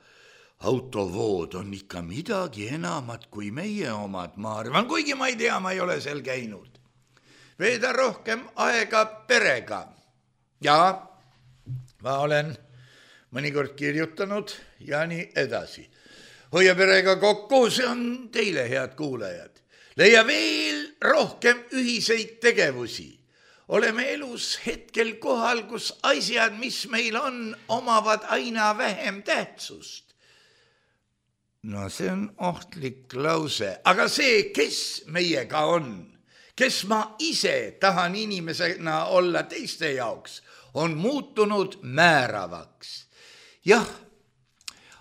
autovood on ikka midagi enamat kui meie omad, ma arvan, kuigi ma ei tea, ma ei ole seal käinud. Veeda rohkem aega perega. Ja ma olen mõnikord kirjutanud ja nii edasi. Hoia perega kokku, see on teile, head kuulajad. Leia veel rohkem ühiseid tegevusi. Oleme elus hetkel kohal, kus asjad, mis meil on, omavad aina vähem tähtsust. No see on ohtlik lause, aga see, kes meiega on, kes ma ise tahan inimesena olla teiste jaoks, on muutunud määravaks. Jah,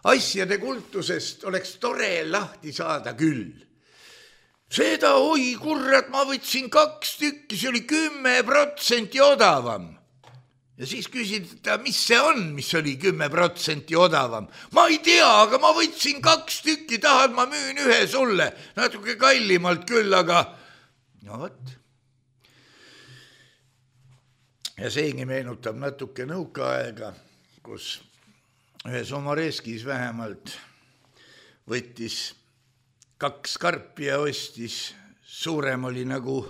asjade kultusest oleks tore lahti saada küll. Seda, oi kurrat, ma võtsin 2 tükki, see oli 10% odavam. Ja siis küsid, mis see on, mis oli 10% odavam. Ma ei tea, aga ma võtsin 2 tükki, tahad, ma müün ühe sulle. Natuke kallimalt küll, aga no võt. Ja seegi meenutab natuke nõukaaega, kus ühes Omoreskis vähemalt võttis 2 karpi ja ostis. Suurem oli nagu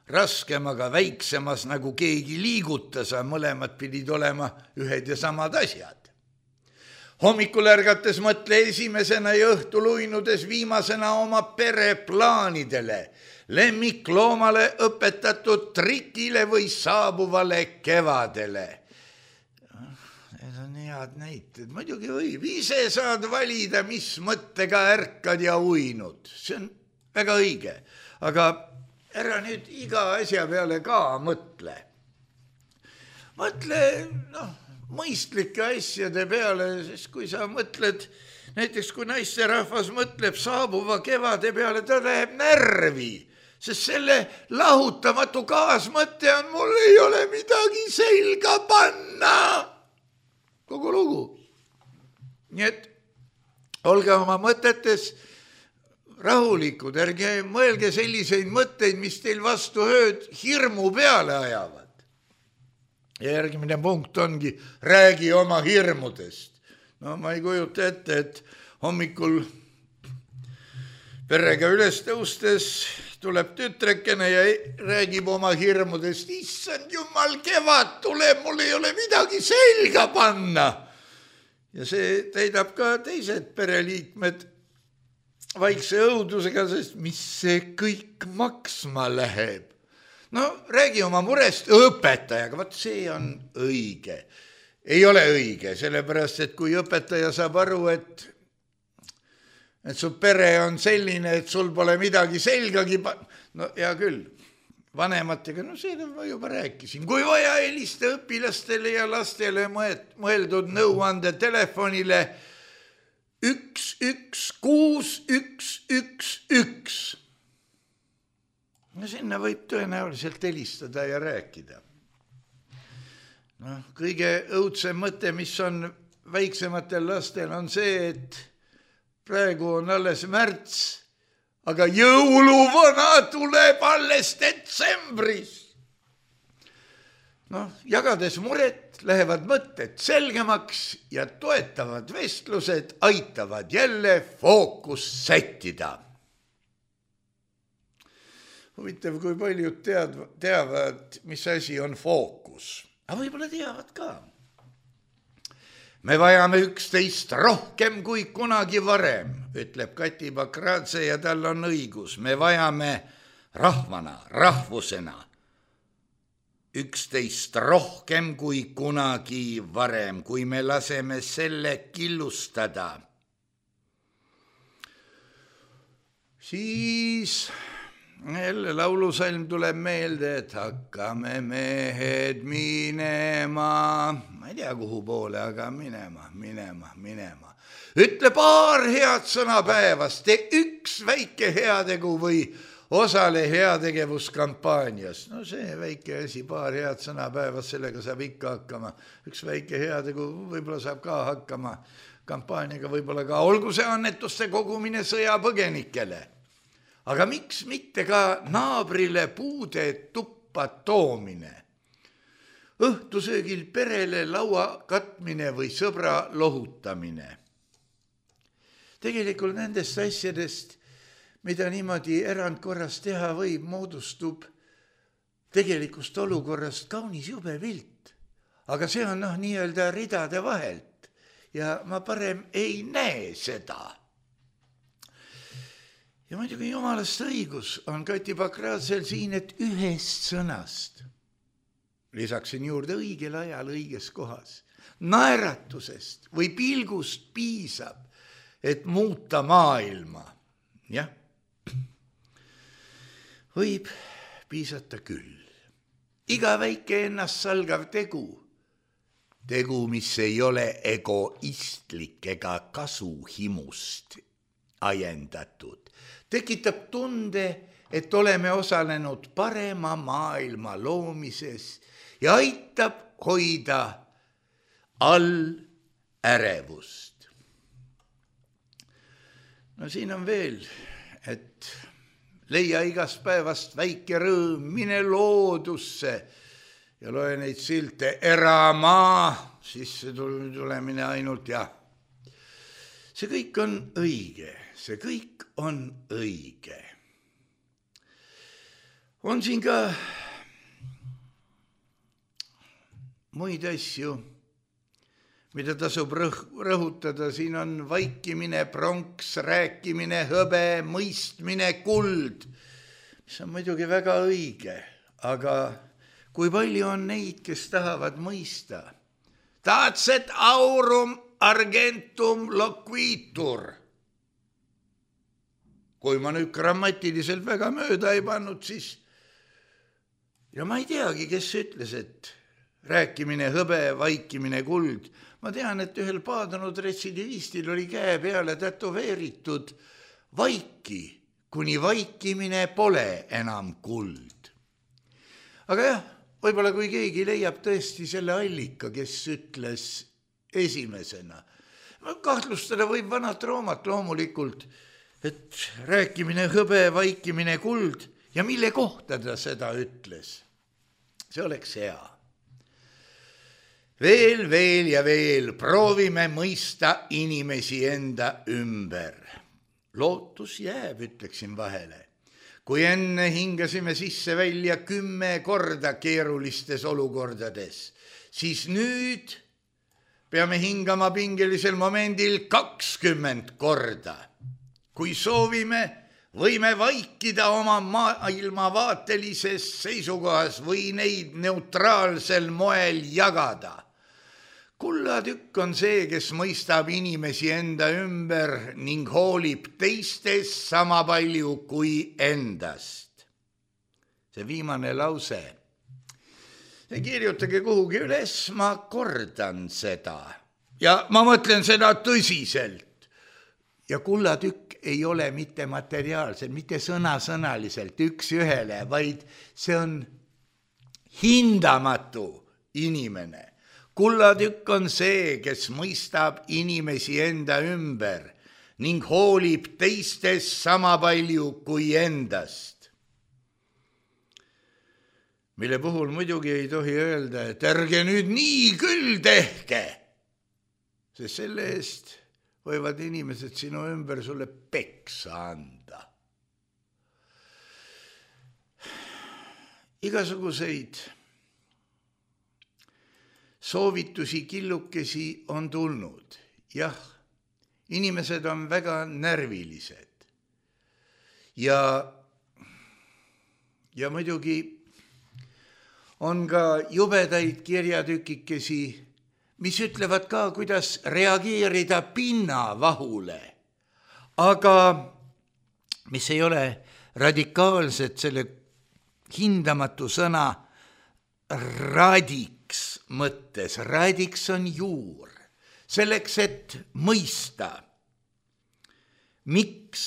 raskem, aga väiksemas nagu keegi liigutas, mõlemad pidid olema ühed ja samad asjad. Hommikul ärgates mõtle esimesena ja õhtul uinudes viimasena oma pereplaanidele, lemmikloomale õpetatud trikile või saabuvale kevadele. Need on head näited, muidugi võib. Ise saad valida, mis mõttega ärkad ja uinud. See on väga õige, aga ära nüüd iga asja peale ka mõtle. Mõtle mõistlike asjade peale, sest kui sa mõtled, näiteks kui naisterahvas mõtleb saabuva kevade peale, ta läheb närvi, sest selle lahutamatu kaasmõte on, mul ei ole midagi selga panna. Kogu lugu. Nii et olge oma mõtetes rahulikud, ärge mõelge selliseid mõtteid, mis teil vastu ööd hirmu peale ajavad. Ja järgmine punkt ongi, räägi oma hirmudest. No ma ei kujuta ette, et hommikul perega üles tõustes tuleb tütrekene ja räägib oma hirmudest. Issand jumal, kevad tuleb, mul ei ole midagi selga panna. Ja see täidab ka teised pereliikmed vaikse õudusega, sest mis see kõik maksma läheb. No räägi oma murest õpetajaga, vaat see on õige. Ei ole õige, sellepärast, et kui õpetaja saab aru, et su pere on selline, et sul pole midagi selgagi, no hea küll, vanematega, no seda ma juba rääkisin. Kui vaja, helista õpilastele ja lastele mõeldud nõuande telefonile 116 111. No sinna võib tõenäoliselt helistada ja rääkida. Kõige õudsem mõte, mis on väiksematel lastel, on see, et praegu on alles märts, aga jõuluvana tuleb alles detsembris. Jagades muret lähevad mõtted selgemaks ja toetavad vestlused aitavad jälle fookust sättida. Huvitav, kui paljud teavad, mis asi on fookus. Aga võib-olla teavad ka. Me vajame üksteist rohkem kui kunagi varem, ütleb Kati Bakradze ja tal on õigus. Me vajame rahvana, rahvusena üksteist rohkem kui kunagi varem, kui me laseme selle killustada. Siis jälle laulusalm tuleb meelde, et hakkame mehed minema. Ma ei tea, kuhu poole, aga minema. Ütle paar head sõna päevas, tee üks väike heategu või osale heategevuskampaanias. See väike asi, paar head sõna päevas, sellega saab ikka hakkama. Üks väike heategu võib-olla saab ka hakkama kampaaniaga, võib-olla ka olgu see annetuste kogumine sõjapõgenikele. Aga miks mitte ka naabrile puude tuppa toomine? Õhtusöögil perele laua katmine või sõbra lohutamine. Tegelikult nendest asjadest, mida niimoodi erandkorras teha võib, moodustub tegelikust olukorrast kaunis jube pilt. Aga see on nii-öelda ridade vahelt ja ma parem ei näe seda. Ja muidugi jumalast õigus on Kati Bakradsel siin, et ühest sõnast, lisaksin juurde õigel ajal õiges kohas, naeratusest või pilgust piisab, et muuta maailma. Jah, võib piisata küll. Iga väike ennast salgav tegu, mis ei ole egoistlik ega kasuhimust ajendatud, tekitab tunde, et oleme osalenud parema maailma loomises ja aitab hoida all ärevust. Siin on veel, et leia igast päevast väike rõõm, mine loodusse ja loe neid silte, eramaa, sisse tulemine ainult ja. See kõik on õige, see kõik on õige. On siin ka muid asju, mida tasub rõhutada, siin on vaikimine, pronks, rääkimine, hõbe, mõistmine, kuld, mis on muidugi väga õige, aga kui palju on neid, kes tahavad mõista? Taatset aurum argentum loquitur. Kui ma nüüd grammatiliselt väga mööda ei pannud, siis ja ma ei teagi, kes ütles, et rääkimine, hõbe, vaikimine, kuld. Ma tean, et ühel paadunud retsidivistil oli käe peale tätoveeritud vaiki, kuni vaikimine pole enam kuld. Aga jah, võib-olla kui keegi leiab tõesti selle allika, kes ütles esimesena. Kahtlustada võib vanat Roomat loomulikult, et rääkimine, hõbe, vaikimine, kuld ja mille kohta ta seda ütles. See oleks hea. Veel ja veel proovime mõista inimesi enda ümber. Lootus jääb, ütleksin vahele. Kui enne hingasime sisse välja 10 korda keerulistes olukordades, siis nüüd peame hingama pingelisel momendil 20 korda. Kui soovime, võime vaikida oma maailmavaatelises seisukohas või neid neutraalsel moel jagada. Kullatükk on see, kes mõistab inimesi enda ümber ning hoolib teistest sama palju kui endast. See viimane lause. Kirjutage kuhugi üles, ma kordan seda. Ja ma mõtlen seda tõsiselt. Ja kullatükk ei ole mitte materiaalselt, mitte sõnasõnaliselt üks ühele, vaid see on hindamatu inimene. Kullatükk on see, kes mõistab inimesi enda ümber ning hoolib teistest sama palju kui endast. Mille puhul muidugi ei tohi öelda, et ärge nüüd nii küll tehke, sest selle eest võivad inimesed sinu ümber sulle peksa anda. Igasuguseid soovitusi killukesi on tulnud. Jah, inimesed on väga närvilised. Ja muidugi on ka jubedaid kirjatükikesi, mis ütlevad ka, kuidas reageerida pinnavahule. Aga mis ei ole radikaalset selle hindamatu sõna radiks mõttes. Radiks on juur. Selleks, et mõista, miks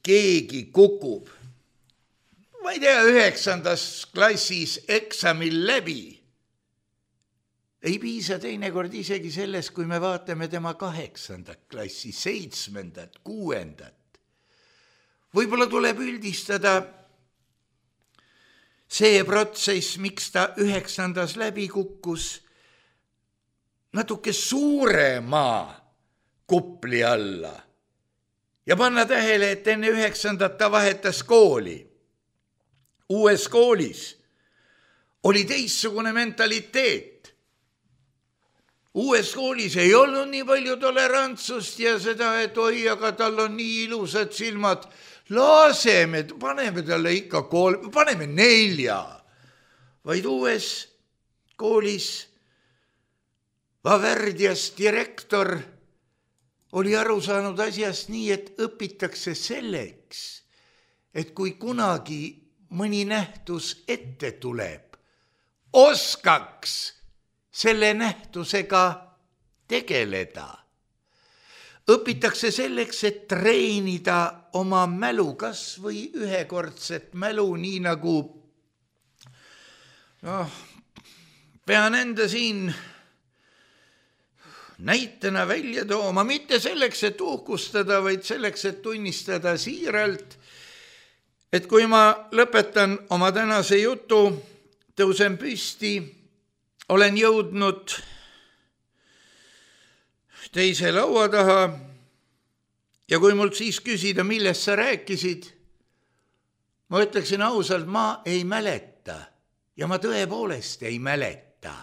keegi kukub, ma ei tea, 9. klassis eksamil läbi. Ei piisa teinekord isegi sellest, kui me vaatame tema 8. klassi, 7., 6. Võib-olla tuleb üldistada see protsess, miks ta 9. läbi kukkus, natuke suurema kupli alla ja panna tähele, et enne 9. ta vahetas kooli. Uues koolis oli teistsugune mentaliteet. Uues koolis ei olnud nii palju tolerantsust ja seda, et oi, aga tal on nii ilusad silmad. Laseme, paneme talle ikka 3, paneme 4. Vaid uues koolis Vaverdias direktor oli aru saanud asjast nii, et õpitakse selleks, et kui kunagi mõni nähtus ette tuleb, oskaks selle nähtusega tegeleda. Õpitakse selleks, et treenida oma mälu, kas või ühekordset mälu, nii nagu pean enda siin näitena välja tooma, mitte selleks, et uhkustada, vaid selleks, et tunnistada siiralt, et kui ma lõpetan oma tänase jutu, tõusen püsti, olen jõudnud teise laua taha ja kui mult siis küsida, millest sa rääkisid, ma ütleksin ausalt, ma ei mäleta ja ma tõepoolest ei mäleta.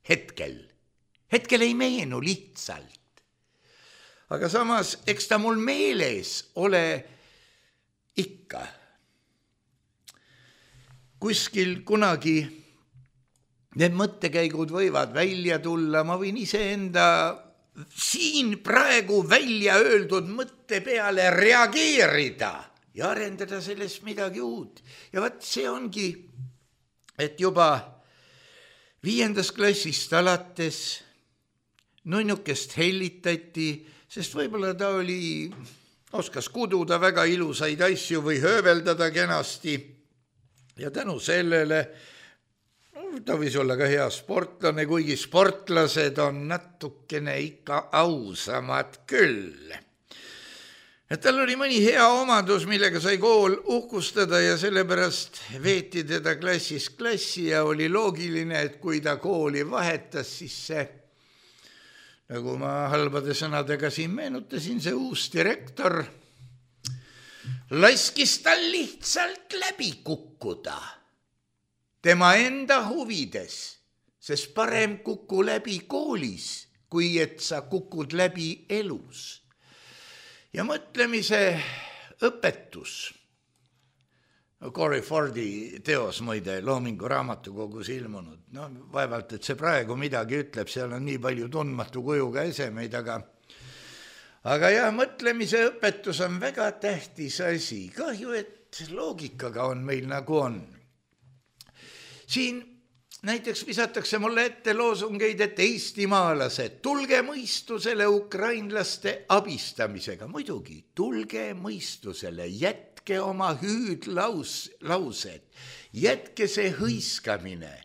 Hetkel ei meenu lihtsalt. Aga samas, eks ta mul meeles ole ikka. Kuskil kunagi need mõttekäigud võivad välja tulla, ma võin iseenda siin praegu välja öeldud mõtte peale reageerida ja arendada sellest midagi uut. Ja vaat see ongi, et juba 5. klassist alates nunnukest hellitati, sest võib-olla ta oskas kududa väga ilusaid asju või hööveldada kenasti ja tänu sellele ta võis olla ka hea sportlane, kuigi sportlased on natukene ikka ausamad küll. Et tal oli mõni hea omadus, millega sai kool uhkustada ja sellepärast veeti teda klassist klassi ja oli loogiline, et kui ta kooli vahetas, siis see, nagu ma halbade sõnadega siin meenutasin, see uus direktor laskis tal lihtsalt läbi kukkuda. Tema enda huvides, sest parem kuku läbi koolis, kui et sa kukud läbi elus. Ja mõtlemise õpetus. Corey Fordi teos muide Loomingu raamatukogus ilmunud. Vaevalt, et see praegu midagi ütleb, seal on nii palju tundmatu kujuga esemeid, aga jah, mõtlemise õpetus on väga tähtis asi. Kahju, et loogikaga on meil nagu on. Siin näiteks visatakse mulle ette loosungeid, et eestimaalased, tulge mõistusele ukrainlaste abistamisega. Muidugi, tulge mõistusele, jätke jätke oma hüüdlaused, jätke see hõiskamine,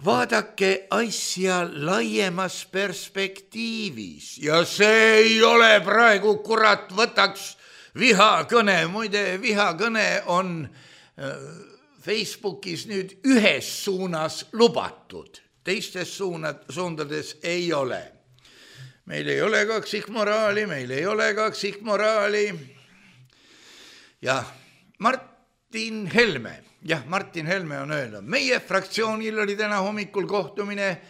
vaadake asja laiemas perspektiivis ja see ei ole praegu, kurat, võtaks vihakõne, muide vihakõne on Facebookis nüüd ühes suunas lubatud, teistes suundades ei ole. Meil ei ole kaksikmoraali. Ja Martin Helme on öelnud, meie fraktsioonil oli täna hommikul kohtumine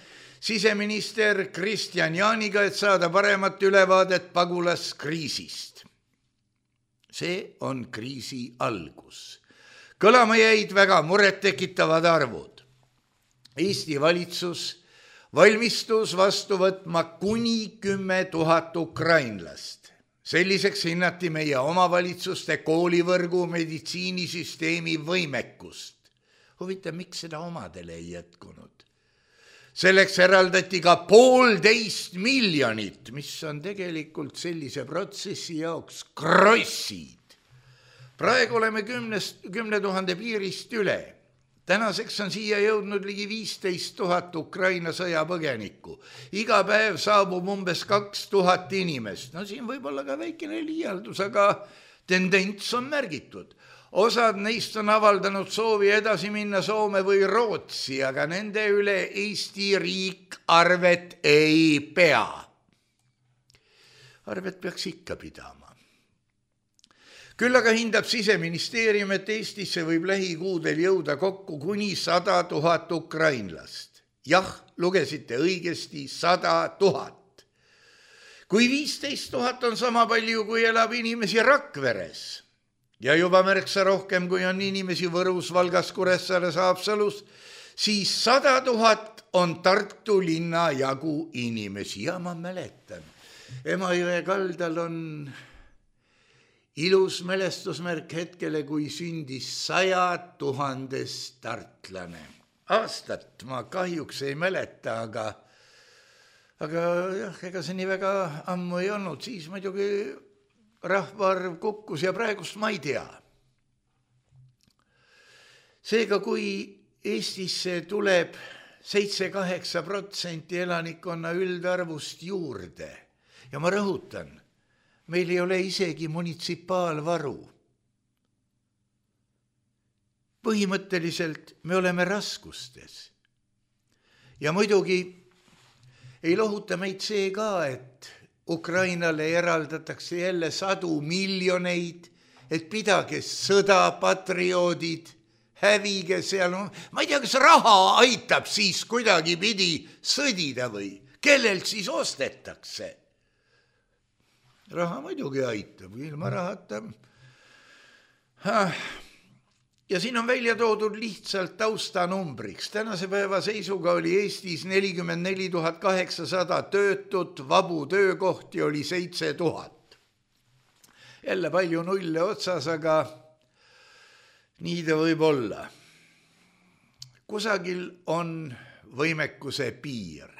siseminister Kristian Jaaniga, et saada paremat ülevaadet pagulaskriisist. See on kriisi algus. Kõlama jäid väga murettekitavad arvud. Eesti valitsus valmistus vastu võtma kuni 10 000 ukrainlast. Selliseks hinnati meie omavalitsuste koolivõrgu meditsiinisüsteemi võimekust. Huvitav, miks seda omadele ei jätkunud? Selleks eraldati ka 1,5 miljonit, mis on tegelikult sellise protsessi jaoks krossid. Praegu oleme 10 000 piirist üle. Tänaseks on siia jõudnud ligi 15 000 Ukraina sõjapõgenikku. Iga päev saabub umbes 2000 inimest. No siin võib olla ka väikene liialdus, aga tendents on märgitud. Osad neist on avaldanud soovi edasi minna Soome või Rootsi, aga nende üle Eesti riik arvet ei pea. Arvet peaks ikka pidama. Küll aga hindab Siseministeerium, et Eestisse võib lähikuudel jõuda kokku kuni 100 000 ukrainlast. Jah, lugesite õigesti, 100 000. Kui 15 000 on sama palju, kui elab inimesi Rakveres ja juba märksa rohkem, kui on inimesi Võrus, Valgas, Kuressaares, Haapsalus, siis 100 000 on Tartu linna jagu inimesi. Ja ma mäletan, Emajõe kaldal on ilus mälestusmärk hetkele, kui sündis 100 000 tartlane. Aastat ma kahjuks ei mäleta, aga jah, ega see nii väga ammu ei olnud. Siis muidugi rahvaarv kukkus ja praegust ma ei tea. Seega, kui Eestisse tuleb 7-8% elanikkonna üldarvust juurde ja ma rõhutan, meil ei ole isegi munitsipaalvaru. Põhimõtteliselt me oleme raskustes. Ja muidugi ei lohuta meid see ka, et Ukrainale eraldatakse jälle 100 miljoneid, et pidage sõda, patrioodid, hävige seal. Ma ei tea, kas raha aitab siis kuidagi pidi sõdida või kellelt siis ostetakse. Raha muidugi aitab, ilma rahata. Ja siin on välja toodud lihtsalt taustanumbriks. Tänase päeva seisuga oli Eestis 44 800 töötut, vabu töökohti oli 7000. Jälle palju nulle otsas, aga nii ta võib olla. Kusagil on võimekuse piir.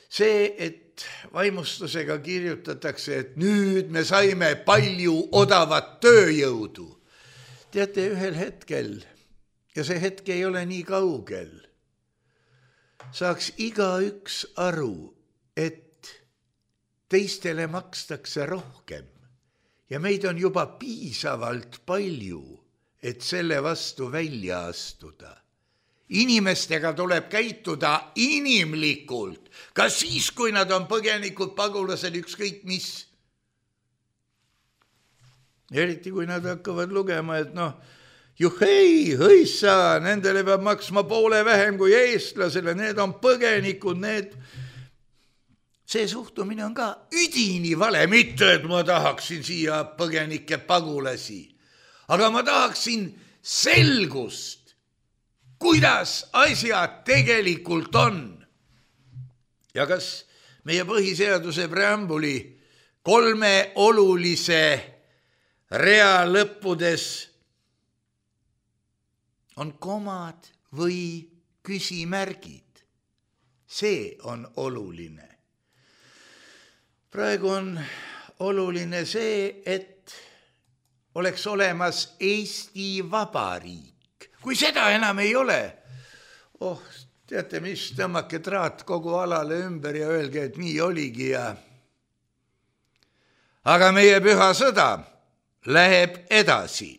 See, et vaimustusega kirjutatakse, et nüüd me saime palju odavat tööjõudu. Teate, ühel hetkel, ja see hetk ei ole nii kaugel, saaks igaüks aru, et teistele makstakse rohkem ja meid on juba piisavalt palju, et selle vastu välja astuda. Inimestega tuleb käituda inimlikult, ka siis, kui nad on põgenikud, pagulased, ükskõik mis. Eriti kui nad hakkavad lugema, et juhei, hõissa, nendele peab maksma poole vähem kui eestlasele, need on põgenikud, See suhtumine on ka üdini vale, mitte et ma tahaksin siia põgenike pagulasi, aga ma tahaksin selgust, kuidas asjad tegelikult on. Ja kas meie põhiseaduse preambuli 3 olulise rea lõppudes on komad või küsimärgid. See on oluline. Praegu on oluline see, et oleks olemas Eesti Vabariik. Kui seda enam ei ole, teate mis, tõmmake traat kogu alale ümber ja öelge, et nii oligi ja... Aga meie püha sõda läheb edasi.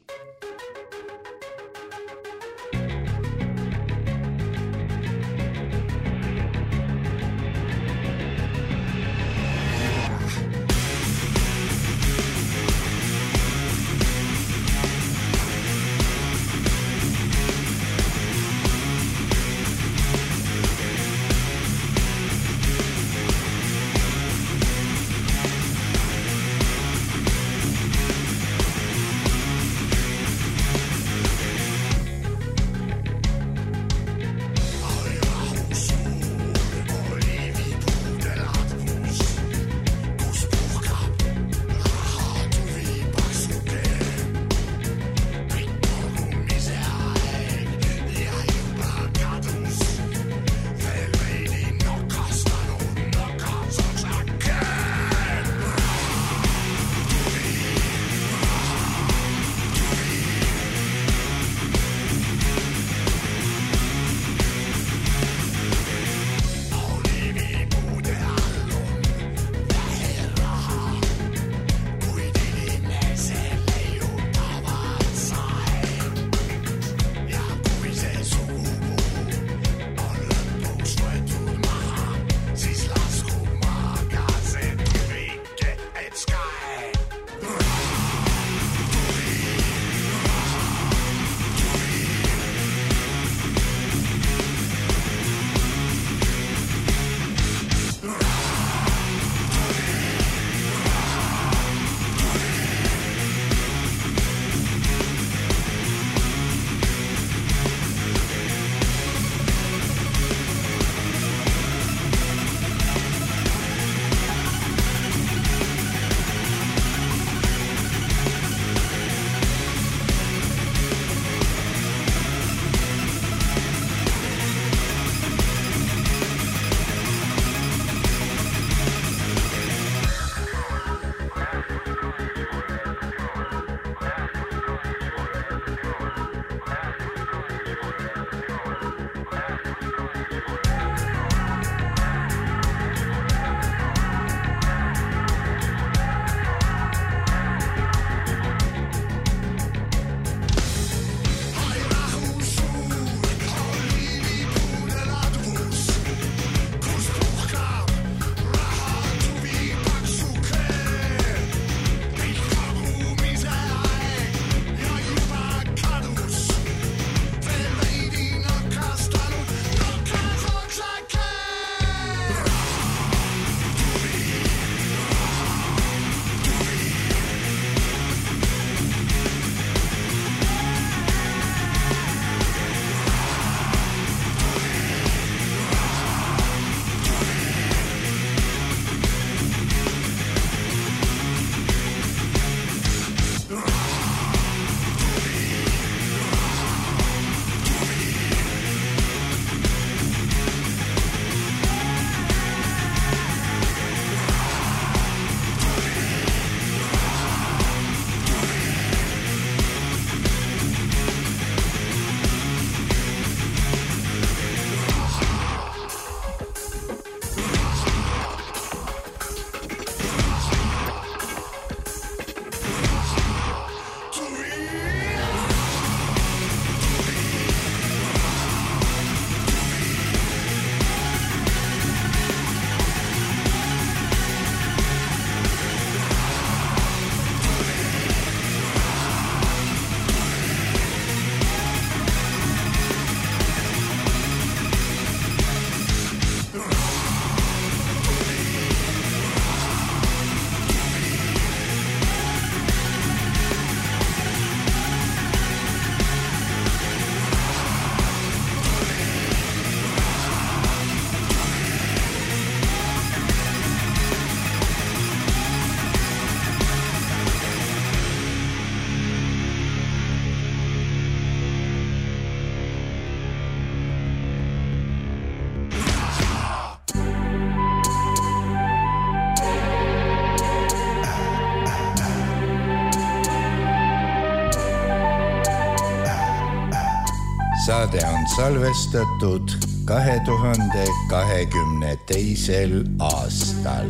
saade on salvestatud 2022. aastal.